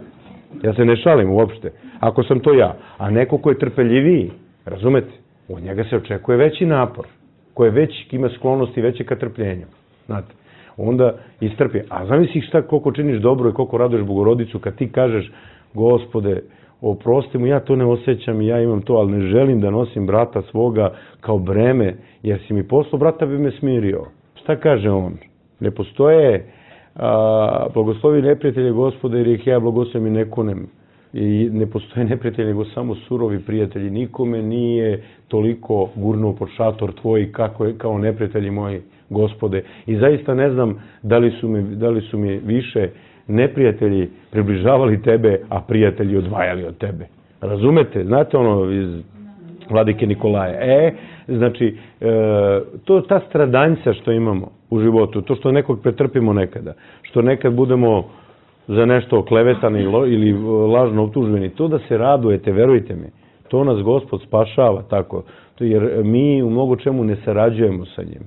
D: Ja se ne šalim uopšte. Ako sam to ja, a neko ko je trpeljiviji, razumete, od njega se očekuje veći napor, ko je već, ima sklonosti veće ka trpljenju, znate. Onda istrpi. A zamisli šta, koliko činiš dobro i koliko raduješ Bogorodicu kad ti kažeš, Gospode, oprosti mu, ja to ne osjećam i ja imam to, ali ne želim da nosim brata svoga kao breme, jer si mi poslao, brata bi me smirio. Šta kaže on? Ne postoje a, blagoslovi neprijatelje Gospode, jer ih ja blagoslovim i ne kunem. I ne postoje neprijatelji, nego samo surovi prijatelji. Nikome nije toliko gurnuo pod šator tvoj kako je, kao neprijatelji moji, Gospode. I zaista ne znam da li su mi, da li su mi više neprijatelji približavali tebe, a prijatelji odvajali od tebe. Razumete? Znate ono iz Vladike Nikolaja? E, znači, e, to ta stradanjca što imamo u životu, to što nekog pretrpimo nekada, što nekad budemo za nešto oklevetani ili lažno optuženi, to da se radujete, verujte mi, to nas Gospod spašava tako, jer mi u mnogo čemu ne sarađujemo sa njim.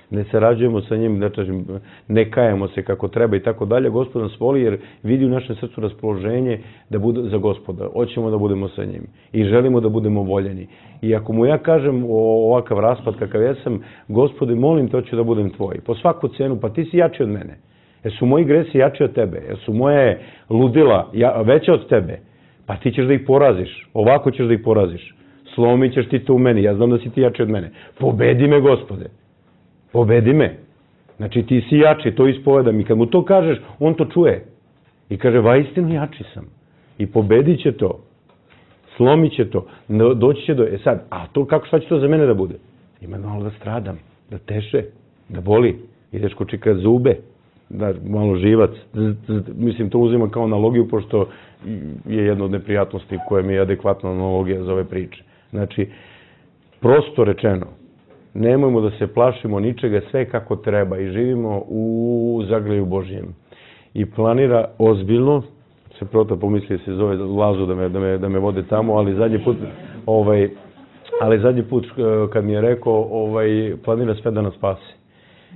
D: Ne sarađujemo sa njim, da kažem, ne kajemo se kako treba i tako dalje. Gospod nas voli jer vidi u našem srcu raspoloženje da bude za Gospoda. Hoćemo da budemo sa njim i želimo da budemo voljeni. I ako mu ja kažem o ovakav raspad kakav jesam, Gospode, molim te, hoću da budem tvoj. Po svaku cenu, pa ti si jači od mene. Jer su moji gresi jači od tebe, jer su moje ludila veće od tebe, pa ti ćeš da ih poraziš, ovako ćeš da ih poraziš, slomit ćeš ti to u meni, ja znam da si ti jači od mene, pobedi me, Gospode, pobedi me, znači ti si jači, to ispovedam i kad mu to kažeš, on to čuje i kaže, vaistinu jači sam i pobedit će to, slomit će to, doći će do, e sad, a to kako, šta će to za mene da bude? Ima malo da stradam, da teše, da boli, ideš ko čika zube, da malo živac, mislim to uzima kao analogiju pošto je jedna od neprijatnosti koja mi je adekvatna analogija za ove priče. Znači, prosto rečeno, nemojmo da se plašimo ničega, sve kako treba i živimo u zagrljaju Božjem. I planira ozbiljno, se prota pomisli se zove Lazu da me, da me, da me vode tamo, ali zadnji put, ovaj, ali zadnji put kad mi je rekao, ovaj, planira sve da nas spasi.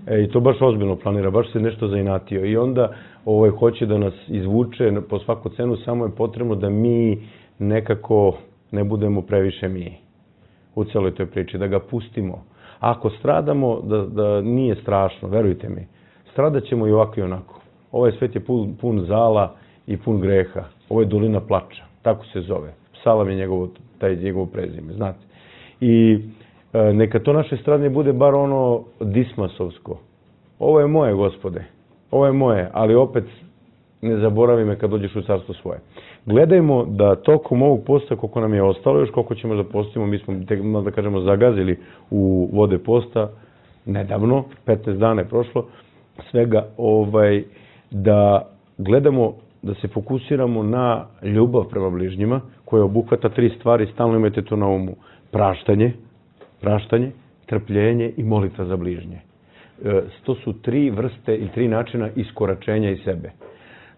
D: E, I to baš ozbiljno planira, baš se nešto zainatio. I onda ovaj, hoće da nas izvuče po svaku cenu, samo je potrebno da mi nekako ne budemo previše mi u celoj toj priči, da ga pustimo. Ako stradamo, da, da nije strašno, verujte mi, stradat ćemo i ovako i onako. Ovaj svet je pun, pun zala i pun greha. Ovo je dolina plača, tako se zove. Psalam je njegovo, taj njegovo prezime, znate. I neka to naše stradanje bude bar ono dismasovsko. Ovo je moje, Gospode. Ovo je moje, ali opet ne zaboravi me kad dođeš u carstvo svoje. Gledajmo da tokom ovog posta, koliko nam je ostalo, još koliko ćemo da postimo, mi smo, da kažemo, zagazili u vode posta nedavno, petnaest dana je prošlo, svega, ovaj, da gledamo, da se fokusiramo na ljubav prema bližnjima, koja obuhvata tri stvari, stalno imajte to na umu. Praštanje, praštanje, trpljenje i molitva za bližnje. To su tri vrste i tri načina iskoračenja iz sebe.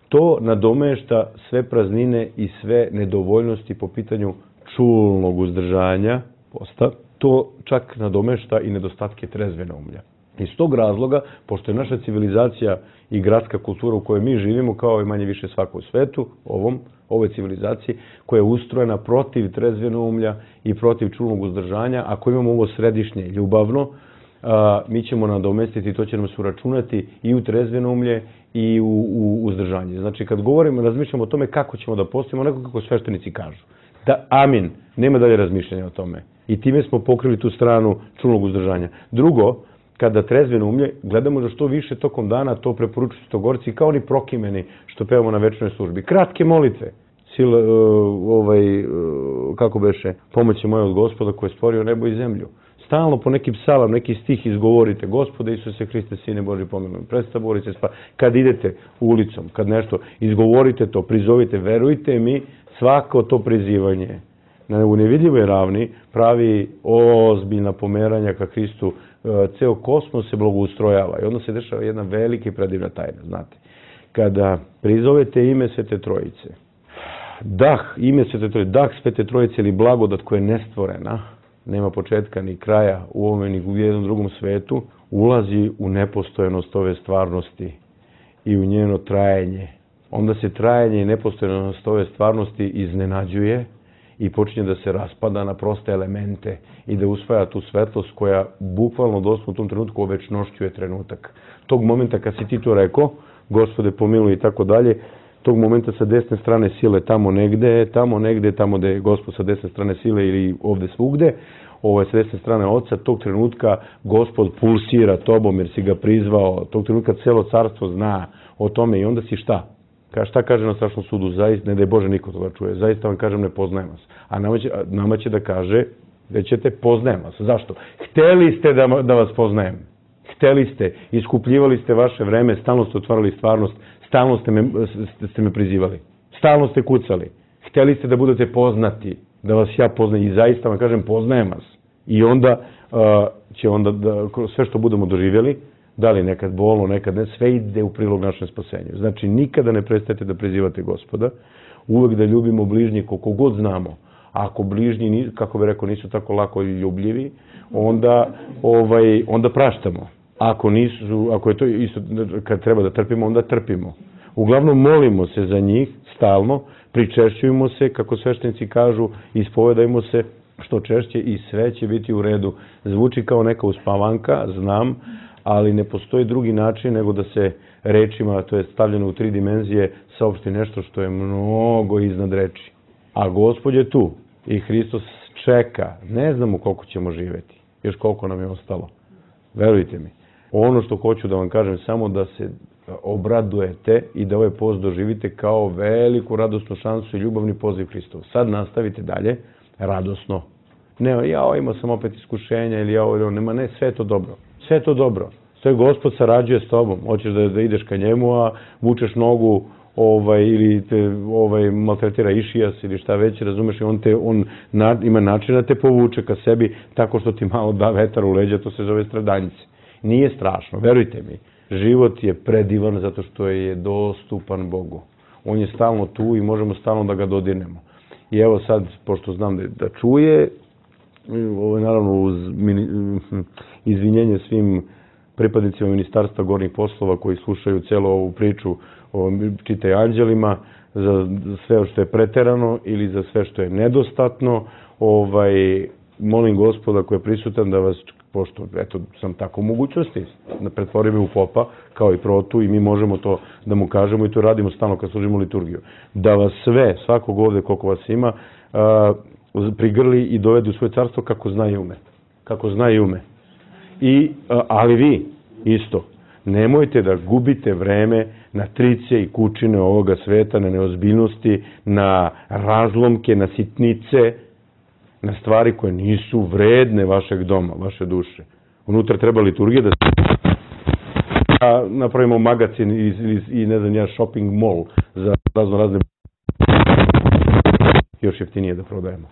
D: To nadomešta sve praznine i sve nedovoljnosti po pitanju čulnog uzdržanja posta. To čak nadomešta i nedostatke trezve naumlja. Iz tog razloga, pošto je naša civilizacija i gradska kultura u kojoj mi živimo, kao i manje više svako u svetu, ovom, ovoj civilizaciji, koja je ustrojena protiv trezve naumlja i protiv čulnog uzdržanja, ako imamo ovo središnje ljubavno, a, mi ćemo nadomestiti, to će nam se uračunati i u trezve naumlje i u, u uzdržanje. Znači, kad govorimo, razmišljamo o tome kako ćemo da postimo, onako kako sveštenici kažu. Da, amin, nema dalje razmišljanja o tome. I time smo pokrili tu stranu čulnog uzdržanja. Drugo, kada trezve naumlje, gledamo da što više tokom dana to preporučuju Stogorci, kao oni prokimeni što pevamo na večernoj službi. Kratke molitve. Sila, uh, ovaj, uh, kako beše, pomoć je moja od Gospoda koji je stvorio nebo i zemlju. Stalno po neki psalam, neki stih izgovorite. Gospode Isuse Hriste, Sine Boži, pomiluj. Predstavite se, kad idete ulicom, kad nešto, izgovorite to, prizovite, verujte mi, svako to prizivanje u nevidljivoj ravni pravi ozbiljna pomeranja ka Hristu. Ceo kosmos se blagoustrojava i onda se dešava jedna velika i predivna tajna, znate. Kada prizovete ime Svete Trojice, dah, ime Svete Trojice, dah Svete Trojice ili blagodat koja je nestvorena, nema početka ni kraja u ovome ni u jednom drugom svetu, ulazi u nepostojenost ove stvarnosti i u njeno trajanje onda se trajanje i nepostojanost ove stvarnosti iznenađuje i počinje da se raspada na proste elemente i da usvaja tu svetlost koja bukvalno doslovno u tom trenutku ovečnošćuje trenutak. Tog momenta kad si ti to rekao, Gospode pomiluj i tako dalje, tog momenta sa desne strane sile tamo negde, tamo negde, tamo gde je Gospod sa desne strane sile ili ovde svugde, ovo je s desne strane Oca, tog trenutka Gospod pulsira tobom jer si ga prizvao, tog trenutka celo carstvo zna o tome i onda si šta? Ka, šta kaže na strašnom sudu? Zaista, ne da je Bože niko to da čuje, zaista vam kažem ne poznajem vas. A nama će, nama će da kaže da ćete poznajem vas. Zašto? Hteli ste da, da vas poznajem. Hteli ste, iskupljivali ste vaše vreme, stalno ste otvarali stvarnost, stalno ste me, ste me prizivali. Stalno ste kucali. Hteli ste da budete poznati, da vas ja poznajem i zaista vam kažem poznajem vas. I onda uh, će onda da, sve što budemo doživjeli, da li nekad bolno, nekad ne, sve ide u prilog našem spasenju. Znači, nikada ne prestajete da prizivate Gospoda, uvek da ljubimo bližnje koliko god znamo. A ako bližnji, kako bi rekao, nisu tako lako ljubljivi, onda, ovaj, onda praštamo. Ako nisu, ako je to isto, kad treba da trpimo, onda trpimo. Uglavnom, molimo se za njih, stalno, pričešćujemo se, kako sveštenici kažu, ispovedajmo se što češće i sve će biti u redu. Zvuči kao neka uspavanka, znam, ali ne postoji drugi način nego da se rečima, to je stavljeno u tri dimenzije, saopšti nešto što je mnogo iznad reči. A Gospod je tu i Hristos čeka. Ne znamo koliko ćemo živeti, još koliko nam je ostalo. Verujte mi. Ono što hoću da vam kažem, samo da se obradujete i da ovaj post doživite kao veliku radosnu šansu i ljubavni poziv Hristov. Sad nastavite dalje, radosno. Ne, ja imao sam opet iskušenja ili ja ovo, nema, ne, sve je to dobro. Sve je to dobro. Sve Gospod sarađuje s tobom. Hoćeš da, da ideš ka njemu, a vučeš nogu ovaj, ili te ovaj, maltretira išijas ili šta već, razumeš, i on, te, on na, ima način da te povuče ka sebi tako što ti malo da vetar u leđa, to se zove stradanjice. Nije strašno, verujte mi. Život je predivan zato što je dostupan Bogu. On je stalno tu i možemo stalno da ga dodirnemo. I evo sad, pošto znam da, da čuje, ovo je naravno uz mini, izvinjenje svim pripadnicima Ministarstva gornjih poslova koji slušaju celu ovu priču o čitaj anđelima, za sve što je preterano ili za sve što je nedostatno. Ovaj, molim Gospoda koji je prisutan da vas, pošto eto, sam tako u mogućnosti, da pretvori me u popa, kao i protu, i mi možemo to da mu kažemo i to radimo stalno kad služimo liturgiju. Da vas sve, svakog ovde koliko vas ima, prigrli i dovede u svoje carstvo kako zna i ume. Kako zna i ume. I, ali vi, isto, nemojte da gubite vreme na trice i kučine ovoga sveta, na neozbiljnosti, na razlomke, na sitnice, na stvari koje nisu vredne vašeg doma, vaše duše. Unutra treba liturgija da napravimo magazin i, i, i ne znam ja, shopping mall za razno razne još jeftinije da prodajemo.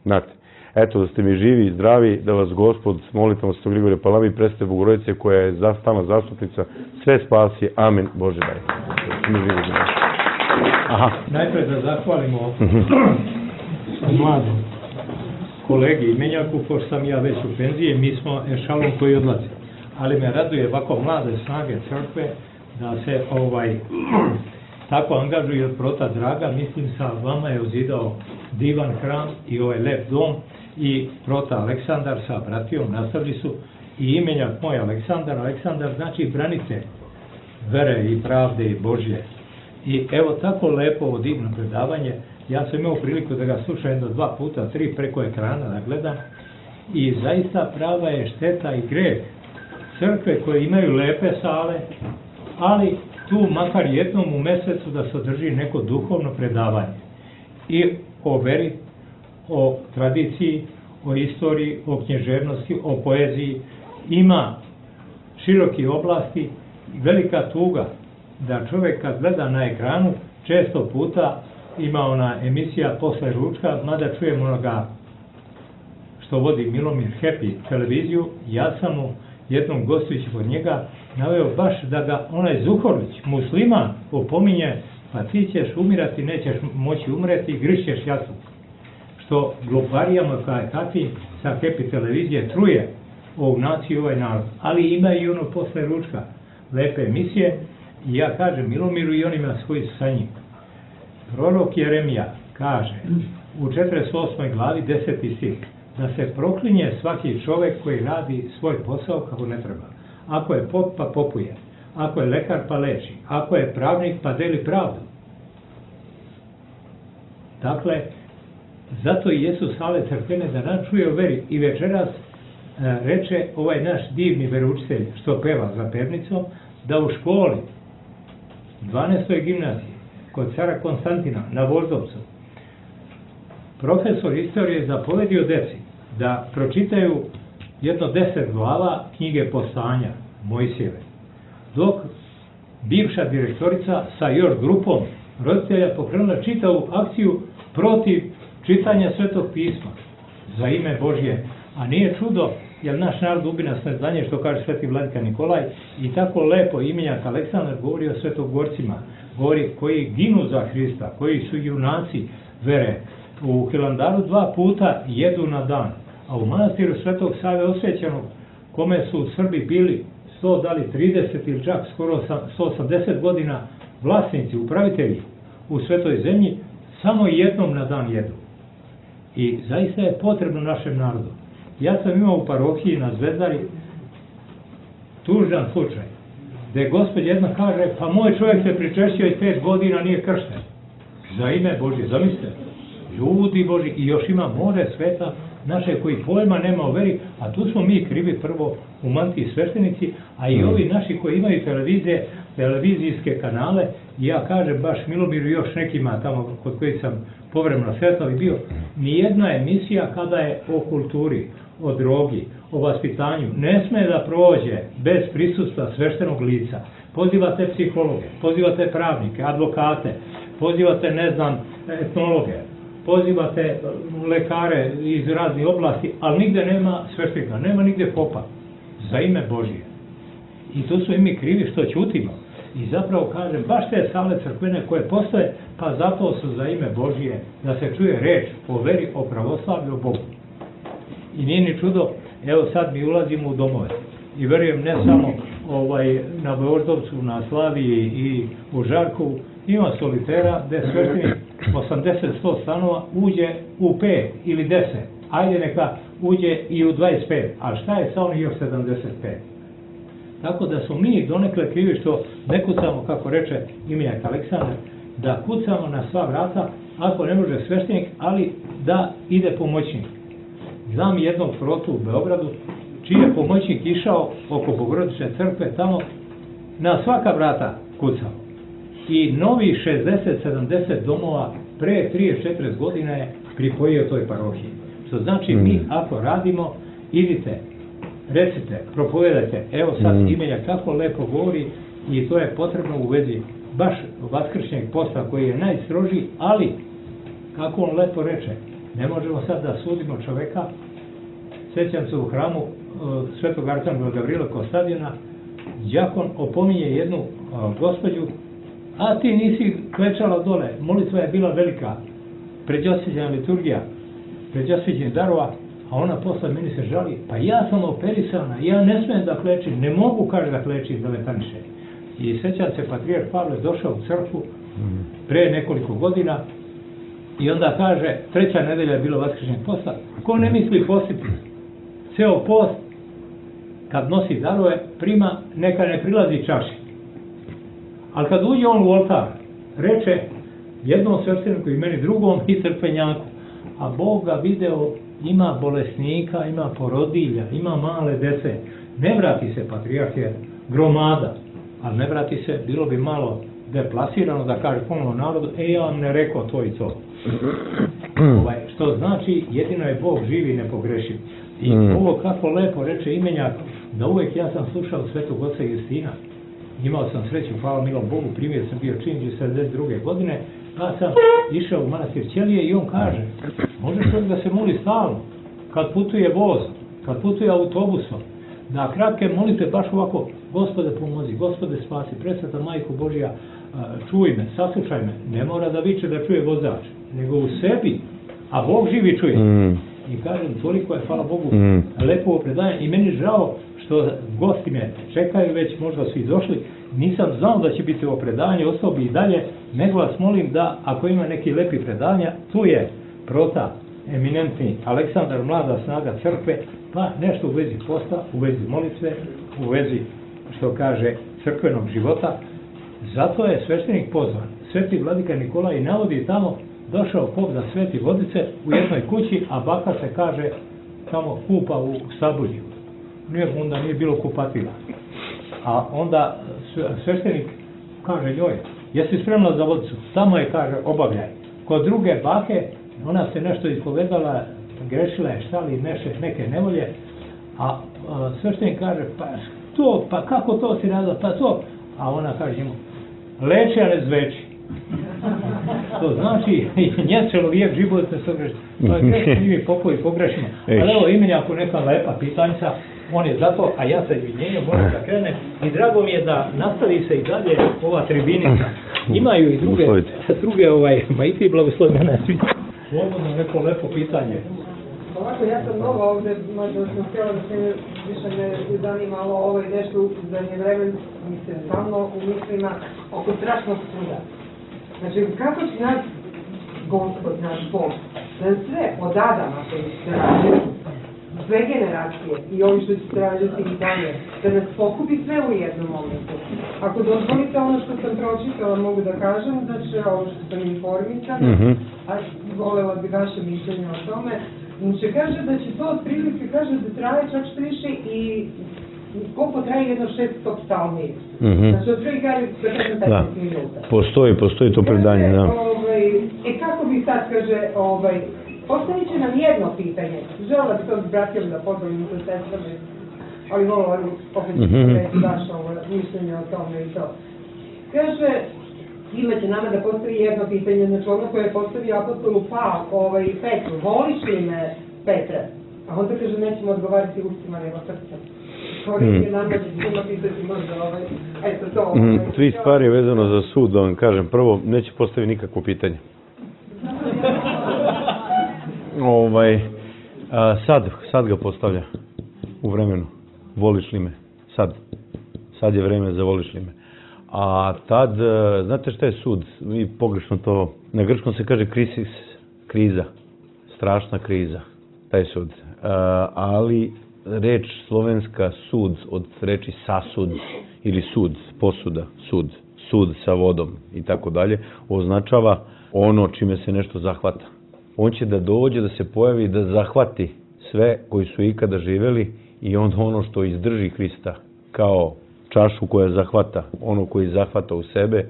D: Znate, eto da ste mi živi i zdravi, da vas Gospod s molitvom Svetog Grigorija Palame i Presvete Bogorodice koja je stalna zastupnica, sve spasi. Amen. Bože daj.
A: Aha. Najprej da zahvalimo mladom kolegi i menjaku, pošto sam ja već u penziji, mi smo ešalon koji odlazi. Ali me raduje ovako mlade snage crkve da se ovaj tako angažuje od prota Draga. Mislim sa vama je uzidao divan hram i ovaj lep dom i prota Aleksandar sa bratijom nastavili su i imenjak moj Aleksandar. Aleksandar znači branitelj vere i pravde i Božje. I evo tako lepo divno predavanje. Ja sam imao priliku da ga slušam jedno dva puta, tri preko ekrana da gledam i zaista prava je šteta i greh crkve koje imaju lepe sale, ali tu makar jednom u mesecu da se održi neko duhovno predavanje i o veri, o tradiciji, o istoriji, o književnosti, o poeziji. Ima široki oblasti, velika tuga da čovjek kad gleda na ekranu često puta ima ona emisija posle ručka, mada čujem onoga što vodi Milomir Happy televiziju. Ja sam mu jednom gostujući kod njega naveo baš da ga onaj Zuhorović, musliman, opominje, pa ti ćeš umirati, nećeš moći umreti, grišćeš jasno. Što gluparijama kao takvi sa Happy televizije truje ovu naciju, ovaj narod. Ali ima i ono posle ručka lepe emisije I ja kažem Milomiru i onima koji su sa njim. Prorok Jeremija kaže u četrdeset osmoj glavi deseti stih da se proklinje svaki čovjek koji radi svoj posao kako ne treba. Ako je pop pa popuje, ako je lekar pa leči, ako je pravnik pa deli pravdu. Dakle, zato i Jesu sale crkvene da nas čuje o veri i večeras e, reče ovaj naš divni veroučitelj što peva za pevnicom, da u školi dvanaestoj gimnaziji kod cara Konstantina na Voždovcu profesor istorije zapovedio deci da pročitaju jedno deset glava knjige Postanja Mojsijeve, dok bivša direktorica sa još grupom roditelja pokrenula čitavu akciju protiv čitanja Svetog pisma za ime Božje. A nije čudo, jer naš narod ubi nas neznanje, što kaže sveti vladika Nikolaj, i tako lepo imenjak Aleksandar govori o svetogorcima, govori koji ginu za Hrista, koji su junaci vere. U Hilandaru dva puta jedu na dan, a u manastiru Svetog Save Osvećenog, kome su Srbi bili sto, da li trideset ili čak skoro sto osamdeset godina vlasnici, upravitelji u Svetoj zemlji, samo jednom na dan jedu. I zaista je potrebno našem narodu. Ja sam imao u parohiji na Zvezdari tužan slučaj, gde gospod jedna kaže, pa moj čovjek se pričešćio i pet godina nije kršten. Za ime Božje, zamislite, ljudi Božji, i još ima more sveta naše koji pojma nema o veri, a tu smo mi krivi prvo u mantiji sveštenici, a i ovi naši koji imaju televizije, televizijske kanale, i ja kažem baš Milomiru i još nekima tamo kod kojih sam povremeno sretao i bio, nijedna emisija kada je o kulturi, o drogi, o vaspitanju, ne sme da prođe bez prisustva sveštenog lica. Pozivate psihologe, pozivate pravnike, advokate, pozivate, ne znam, etnologe, pozivate lekare iz raznih oblasti, ali nigde nema sveštenika, nema nigde popa, za ime Božije. I tu su i mi krivi što ćutimo. I zapravo kažem, baš te sale crkvene koje postoje, pa zato su za ime Božije, da se čuje reč o veri, o pravoslavlju, o Bogu. I nije ni čudo, evo sad mi ulazimo u domove. I verujem ne samo ovaj, na Voždovcu, na Slaviji i u Žarkovu, ima solitera gde sveštenik osamdeset do sto stanova uđe u pet ili deset. Ajde neka uđe i u dvadeset pet, a šta je sa onih još sedamdeset pet? Tako da smo mi donekle krivi što ne kucamo, kako reče imenjak Aleksandar, da kucamo na sva vrata, ako ne može sveštenik, ali da ide pomoćnik. Znam jednog protu u Beogradu, čiji je pomoćnik išao oko Bogorodične crkve, tamo na svaka vrata kucao. I novi šezdeset sedamdeset domova pre trideset četrdeset godina je pripojio toj parohiji. Što znači mi ako radimo, idite, recite, propovedajte, evo sad mm. imenja kako lepo govori i to je potrebno u vezi baš vaskršnjeg posta koji je najstrožiji, ali kako on lepo reče, ne možemo sad da sudimo čoveka. Sjećam se u hramu uh, Svetog Arcangela Gavrila Kostadina, đakon opominje jednu uh, gospođu, a ti nisi klečala dole, molitva je bila velika, pređosviđena liturgija, pređosviđenih darova, a ona posle meni se žali, pa ja sam operisana, ja ne smijem da klečim, ne mogu, kaže, da klečim, da letaniše. I sećam se, patrijarh Pavle došao u crkvu pre nekoliko godina i onda kaže, treća nedelja je bilo vaskršnjeg posta, ko ne misli postiti? Ceo post, kad nosi darove, prima, neka ne prilazi čaši. Ali kad uđe on u oltar, reče jednom svešteniku i meni drugom i crkvenjaku, a Bog ga video, ima bolesnika, ima porodilja, ima male dece. Ne vrati se, patrijarh je gromada, ali ne vrati se, bilo bi malo deplasirano da kaže ponovno narodu, e, ja vam ne rekao to i to. Ovaj, što znači, jedino je Bog živi i nepogrešiv. I mm. ovo kako lepo reče imenjak, da uvek ja sam slušao Svetog oca Justina. Imao sam sreću, hvala milom Bogu, primjer sam bio činđi sedamdeset druge godine, pa sam išao u manastir Ćelije i on kaže, može čovjek da se moli stalno, kad putuje voz, kad putuje autobusom, da kratke molite baš ovako, Gospode pomozi, Gospode spasi, presveta Majko Božja, čuj me, saslušaj me, ne mora da viče da čuje vozač, nego u sebi, a Bog živi čuje. Mm. I kažem, toliko je, hvala Bogu, mm. lepo predajem i meni žao što gosti me čekaju, već možda su i došli. Nisam znao da će biti ovo predavanje, ostao bi i dalje, nego vas molim da, ako ima neki lepi predavanja, tu je prota, eminentni Aleksandar, mlada snaga crkve, pa nešto u vezi posta, u vezi molitve, u vezi, što kaže, crkvenog života. Zato je sveštenik pozvan. Sveti vladika Nikolaj navodi tamo, došao pop da sveti vodice u jednoj kući, a baka se kaže tamo kupa u Sabulju. Nije, onda nije bilo kupatila. A onda sveštenik kaže njoj, jesi spremna za vodicu? Tamo je, kaže, obavljaj. Kod druge bake, ona se nešto ispovedala, grešila je šta li neše, neke nevolje, a, a sveštenik kaže, pa to, pa kako to si radila, pa to, a ona kaže njemu, leči, a ne zveči. To znači, nje čelovijek život ne se greši. Pa grešimo i mi popovi pogrešimo. Ali evo imeni ako neka lepa pitanjca, on je zato, a ja sa izvinjenjem moram da krenem. I drago mi je da nastavi se i dalje ova tribinica. Imaju i druge, druge ovaj, ma i ti blagoslovi mene svi. Slobodno neko lepo pitanje.
E: Ovako, ja sam nova ovde, možda sam htjela da se više me zanimalo ovo i nešto u zadnje vreme, mislim, stalno u mislima oko strašnog suda. Znači, kako će naš Gospod, naš Bog, da sve od Adama koji se rađaju, sve generacije i ovi što će se rađati i dalje, da nas pokupi sve u jednom momentu. Ako dozvolite ono što sam pročitala, mogu da kažem, znači ovo što sam informisana, mm-hmm. a volela bi vaše mišljenje o tome, znači kaže da će to otprilike, kaže da traje čak što više i koliko traje jedno šeststo psalmi. Mm-hmm. Znači otprilike kaže petnaest minuta.
D: Postoji, postoji to predanje, da.
E: Ovaj, e kako bi sad, kaže, ovaj, postavit će nam jedno pitanje. Žela bi to s bratijom da pozdravim sa sestrame, ali volila bi opet mm-hmm. reći vaše mišljenje o tome i to. Kaže, imate nama da postavi jedno pitanje, znači ono koje je postavio apostolu Pa, ovaj, Petru, voliš li me, Petre? A onda kaže, nećemo odgovarati ustima nego srcem. Mm.
D: Mm, tri stvari vezano za sud, da vam kažem. Prvo, neće postaviti nikakvo pitanje. ovaj, a, sad, sad ga postavlja u vremenu. Voliš li me? Sad. Sad je vreme za voliš li me. A tad, znate šta je sud? Mi pogrešno to, na grčkom se kaže krisis, kriza. Strašna kriza. Taj sud. A, ali reč slovenska sud od reči sasud ili sud, posuda, sud, sud sa vodom i tako dalje, označava ono čime se nešto zahvata. On će da dođe, da se pojavi, da zahvati sve koji su ikada živeli i onda ono što izdrži Hrista kao čašu koja zahvata, ono koji zahvata u sebe,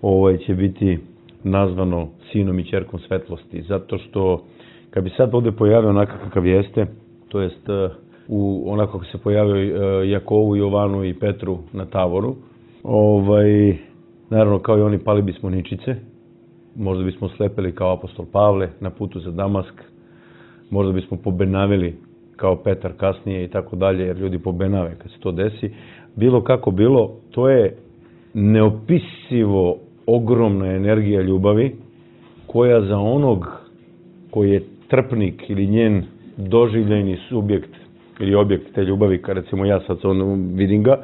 D: ovaj će biti nazvano sinom i ćerkom svetlosti. Zato što kad bi sad ovde pojavio onako kakav jeste, to jest u onako kako se pojavio Jakovu, Jovanu i Petru na Tavoru, ovaj, naravno kao i oni pali bismo ničice, možda bismo slepeli kao apostol Pavle na putu za Damask, možda bismo pobenavili kao Petar kasnije i tako dalje, jer ljudi pobenave kad se to desi. Bilo kako bilo, to je neopisivo ogromna energija ljubavi koja za onog koji je trpnik ili njen doživljeni subjekt ili objekt te ljubavi, kad recimo ja sad vidim ga,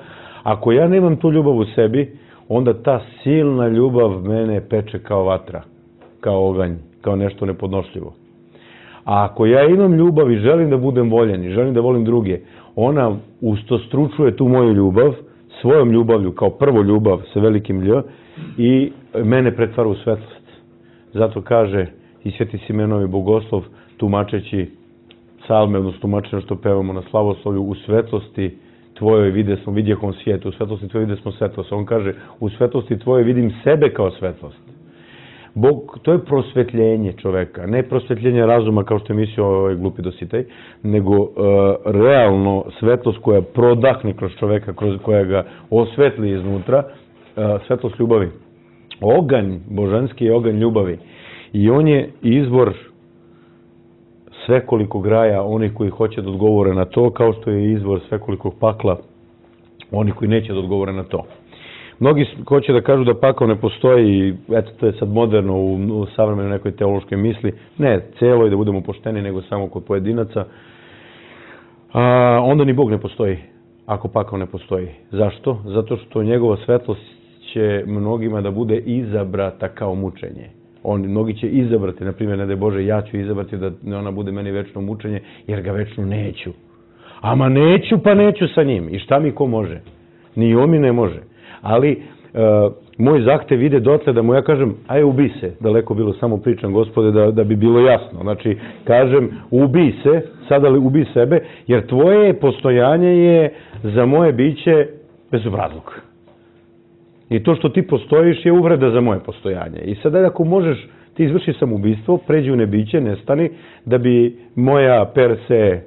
D: ako ja nemam tu ljubav u sebi, onda ta silna ljubav mene peče kao vatra, kao oganj, kao nešto nepodnošljivo. A ako ja imam ljubav i želim da budem voljen i želim da volim druge, ona ustostručuje tu moju ljubav, svojom ljubavlju, kao prvo ljubav sa velikim lj, i mene pretvara u svetlost. Zato kaže i Sveti Simenovi Bogoslov, tumačeći psalme, odnosno tumačeno što pevamo na slavoslovlju, u svetlosti tvojoj vide smo, vidjehom svijetu, u svetlosti tvojoj vide smo svetlost. On kaže, u svetlosti tvojoj vidim sebe kao svetlost. Bog, to je prosvetljenje čoveka, ne prosvetljenje razuma kao što je mislio ovaj glupi Dositej, nego uh, realno svetlost koja prodahne kroz čoveka, kroz koja ga osvetli iznutra, uh, svetlost ljubavi. Oganj božanski je oganj ljubavi i on je izvor svekolikog raja onih koji hoće da odgovore na to, kao što je izvor svekolikog pakla onih koji neće da odgovore na to. Mnogi hoće da kažu da pakao ne postoji i eto, to je sad moderno u, u savremenoj nekoj teološkoj misli. Ne celo i da budemo pošteni, nego samo kod pojedinaca. A, onda ni Bog ne postoji. ako pakao ne postoji. Zašto? Zato što njegova svetlost će mnogima da bude izabrata kao mučenje. On, mnogi će izabrati, na primjer, ne daj Bože, ja ću izabrati da ona bude meni večno mučenje, jer ga večno neću. Ama neću, pa neću sa njim. I šta mi ko može? Ni on mi ne može. Ali e, moj zahtev ide dotle da mu ja kažem, aj ubi se, daleko bilo, samo pričam, Gospode, da, da bi bilo jasno. Znači, kažem, ubi se, sada li ubi sebe, jer tvoje postojanje je za moje biće bezobrazluk. I to što ti postojiš je uvreda za moje postojanje. I sada ako možeš, ti izvrši samoubistvo, pređi u nebiće, nestani, da bi moja per se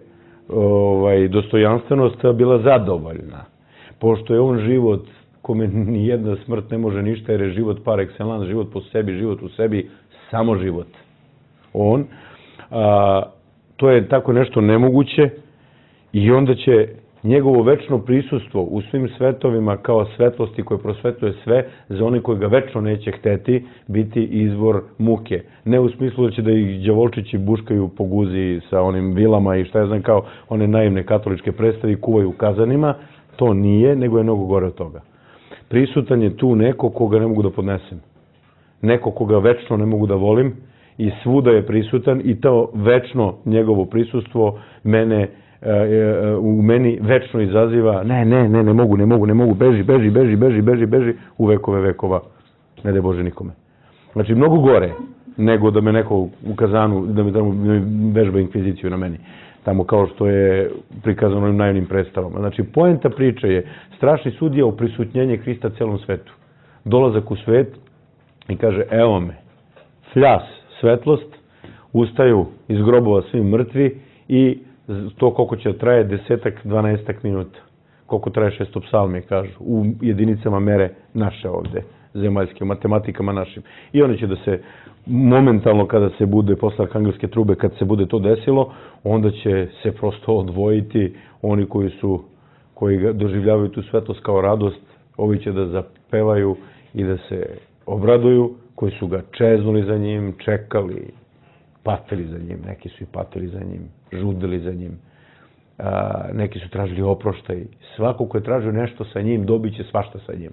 D: ovaj, dostojanstvenost bila zadovoljna. Pošto je on život kome ni jedna smrt ne može ništa, jer je život par excellence, život po sebi, život u sebi, samo život. On, a, to je tako nešto nemoguće i onda će njegovo večno prisustvo u svim svetovima kao svetlosti koje prosvetuje sve, za oni koji ga večno neće hteti, biti izvor muke. Ne u smislu da će da ih đavolčići buškaju po guzi sa onim vilama i šta ja znam kao one naivne katoličke predstave i kuvaju u kazanima, to nije, nego je mnogo gore od toga. Prisutan je tu neko koga ne mogu da podnesem. Neko koga večno ne mogu da volim i svuda je prisutan i to večno njegovo prisustvo mene u meni večno izaziva ne, ne, ne, ne mogu, ne mogu, ne mogu, beži, beži, beži, beži, beži, beži u vekove vekova. Ne daj Bože nikome. Znači, mnogo gore nego da me neko u kazanu, da me tamo vežba inkviziciju na meni. Tamo kao što je prikazano ovim naivnim predstavama. Znači, poenta priče je strašni sudija u prisutnjenje Hrista celom svetu. Dolazak u svet i kaže, evo me, fljas, svetlost, ustaju iz grobova svi mrtvi i to koliko će traje desetak, dvanaestak minuta. Koliko traje šestopsalmi, kažu, u jedinicama mere naše ovde, zemaljske, u matematikama našim. I oni će da se, momentalno kada se bude, posle arkangelske trube, kad se bude to desilo, onda će se prosto odvojiti oni koji su, koji doživljavaju tu svetlost kao radost, ovi će da zapevaju i da se obraduju, koji su ga čeznuli za njim, čekali, patili za njim, neki su i patili za njim, žudili za njim, a, neki su tražili oproštaj. Svako ko je tražio nešto sa njim, dobit će svašta sa njim.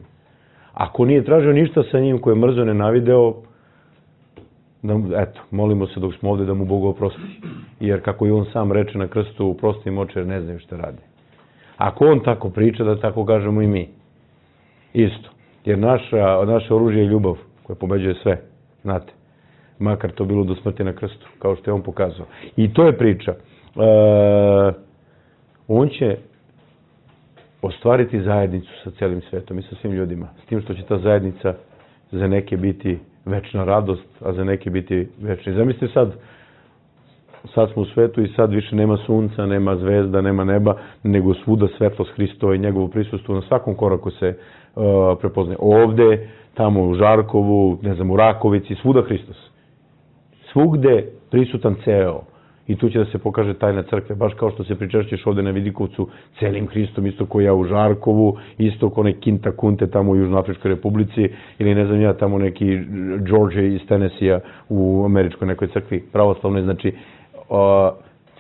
D: Ako nije tražio ništa sa njim, ko je mrzo nenavideo, da, eto, molimo se dok smo ovde da mu Bog oprosti. Jer kako i on sam reče na krstu, oprosti im oče jer ne znaju šta rade. Ako on tako priča, da tako kažemo i mi. Isto. Jer naša, naše oružje je ljubav koja pobeđuje sve, znate. Makar to bilo do smrti na krstu, kao što je on pokazao. I to je priča. E, on će ostvariti zajednicu sa celim svetom i sa svim ljudima. S tim što će ta zajednica za neke biti večna radost, a za neke biti večni. Zamislite sad, sad smo u svetu i sad više nema sunca, nema zvezda, nema neba, nego svuda svetlost Hristova i njegovo prisustvo na svakom koraku se uh, prepoznaje. Ovde, tamo u Žarkovu, ne znam, u Rakovici, svuda Hristos. Svugde prisutan ceo. I tu će da se pokaže tajna crkve, baš kao što se pričešćeš ovde na Vidikovcu celim Hristom, isto ko ja u Žarkovu, isto ko neki Kinta Kunte tamo u Južnoafričkoj republici, ili ne znam ja tamo neki George iz Tennessee u američkoj nekoj crkvi pravoslavnoj. Znači, o,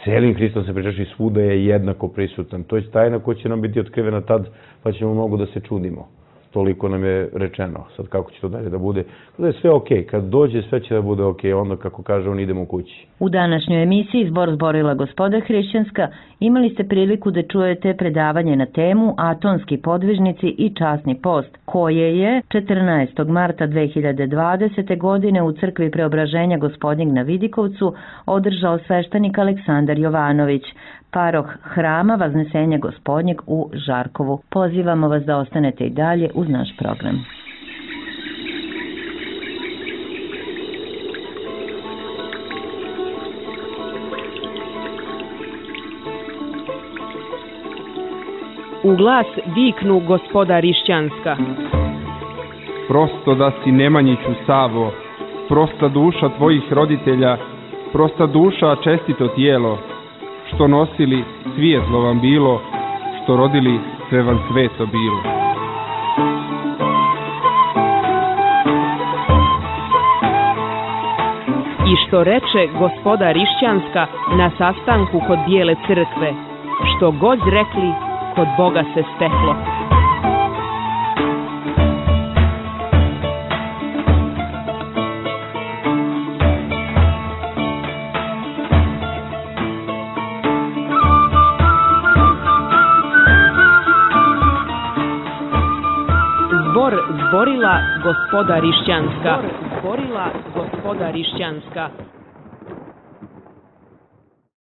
D: celim Hristom se pričešći, svuda je jednako prisutan. To je tajna koja će nam biti otkrivena tad, pa ćemo mnogo da se čudimo. Toliko nam je rečeno. Sad kako će to dalje da bude? Da je sve okej. Kad dođe, sve će da bude okej. Onda, kako kaže, on idemo kući.
C: U današnjoj emisiji Zbor zborila Gospoda Hrišćanska imali ste priliku da čujete predavanje na temu Atonski podvižnici i časni post, koje je četrnaestog marta dve hiljade dvadesete. godine u crkvi Preobraženja Gospodnjeg na Vidikovcu održao sveštenik Aleksandar Jovanović, paroh Hrama Vaznesenja Gospodnjeg u Žarkovu. Pozivamo vas da ostanete i dalje uz naš program.
F: U glas viknu Gospoda Rišćanska.
G: Prosto da si Nemanjiću Savo, prosta duša tvojih roditelja, prosta duša čestito tijelo, što nosili svijetlo vam bilo, što rodili sve vam sveto bilo.
F: I što reče Gospoda Rišćanska na sastanku kod Bijele crkve, što god rekli, kod Boga se steklo. Zbor zborila gospoda Rišćanska. Zbor zborila gospoda Rišćanska.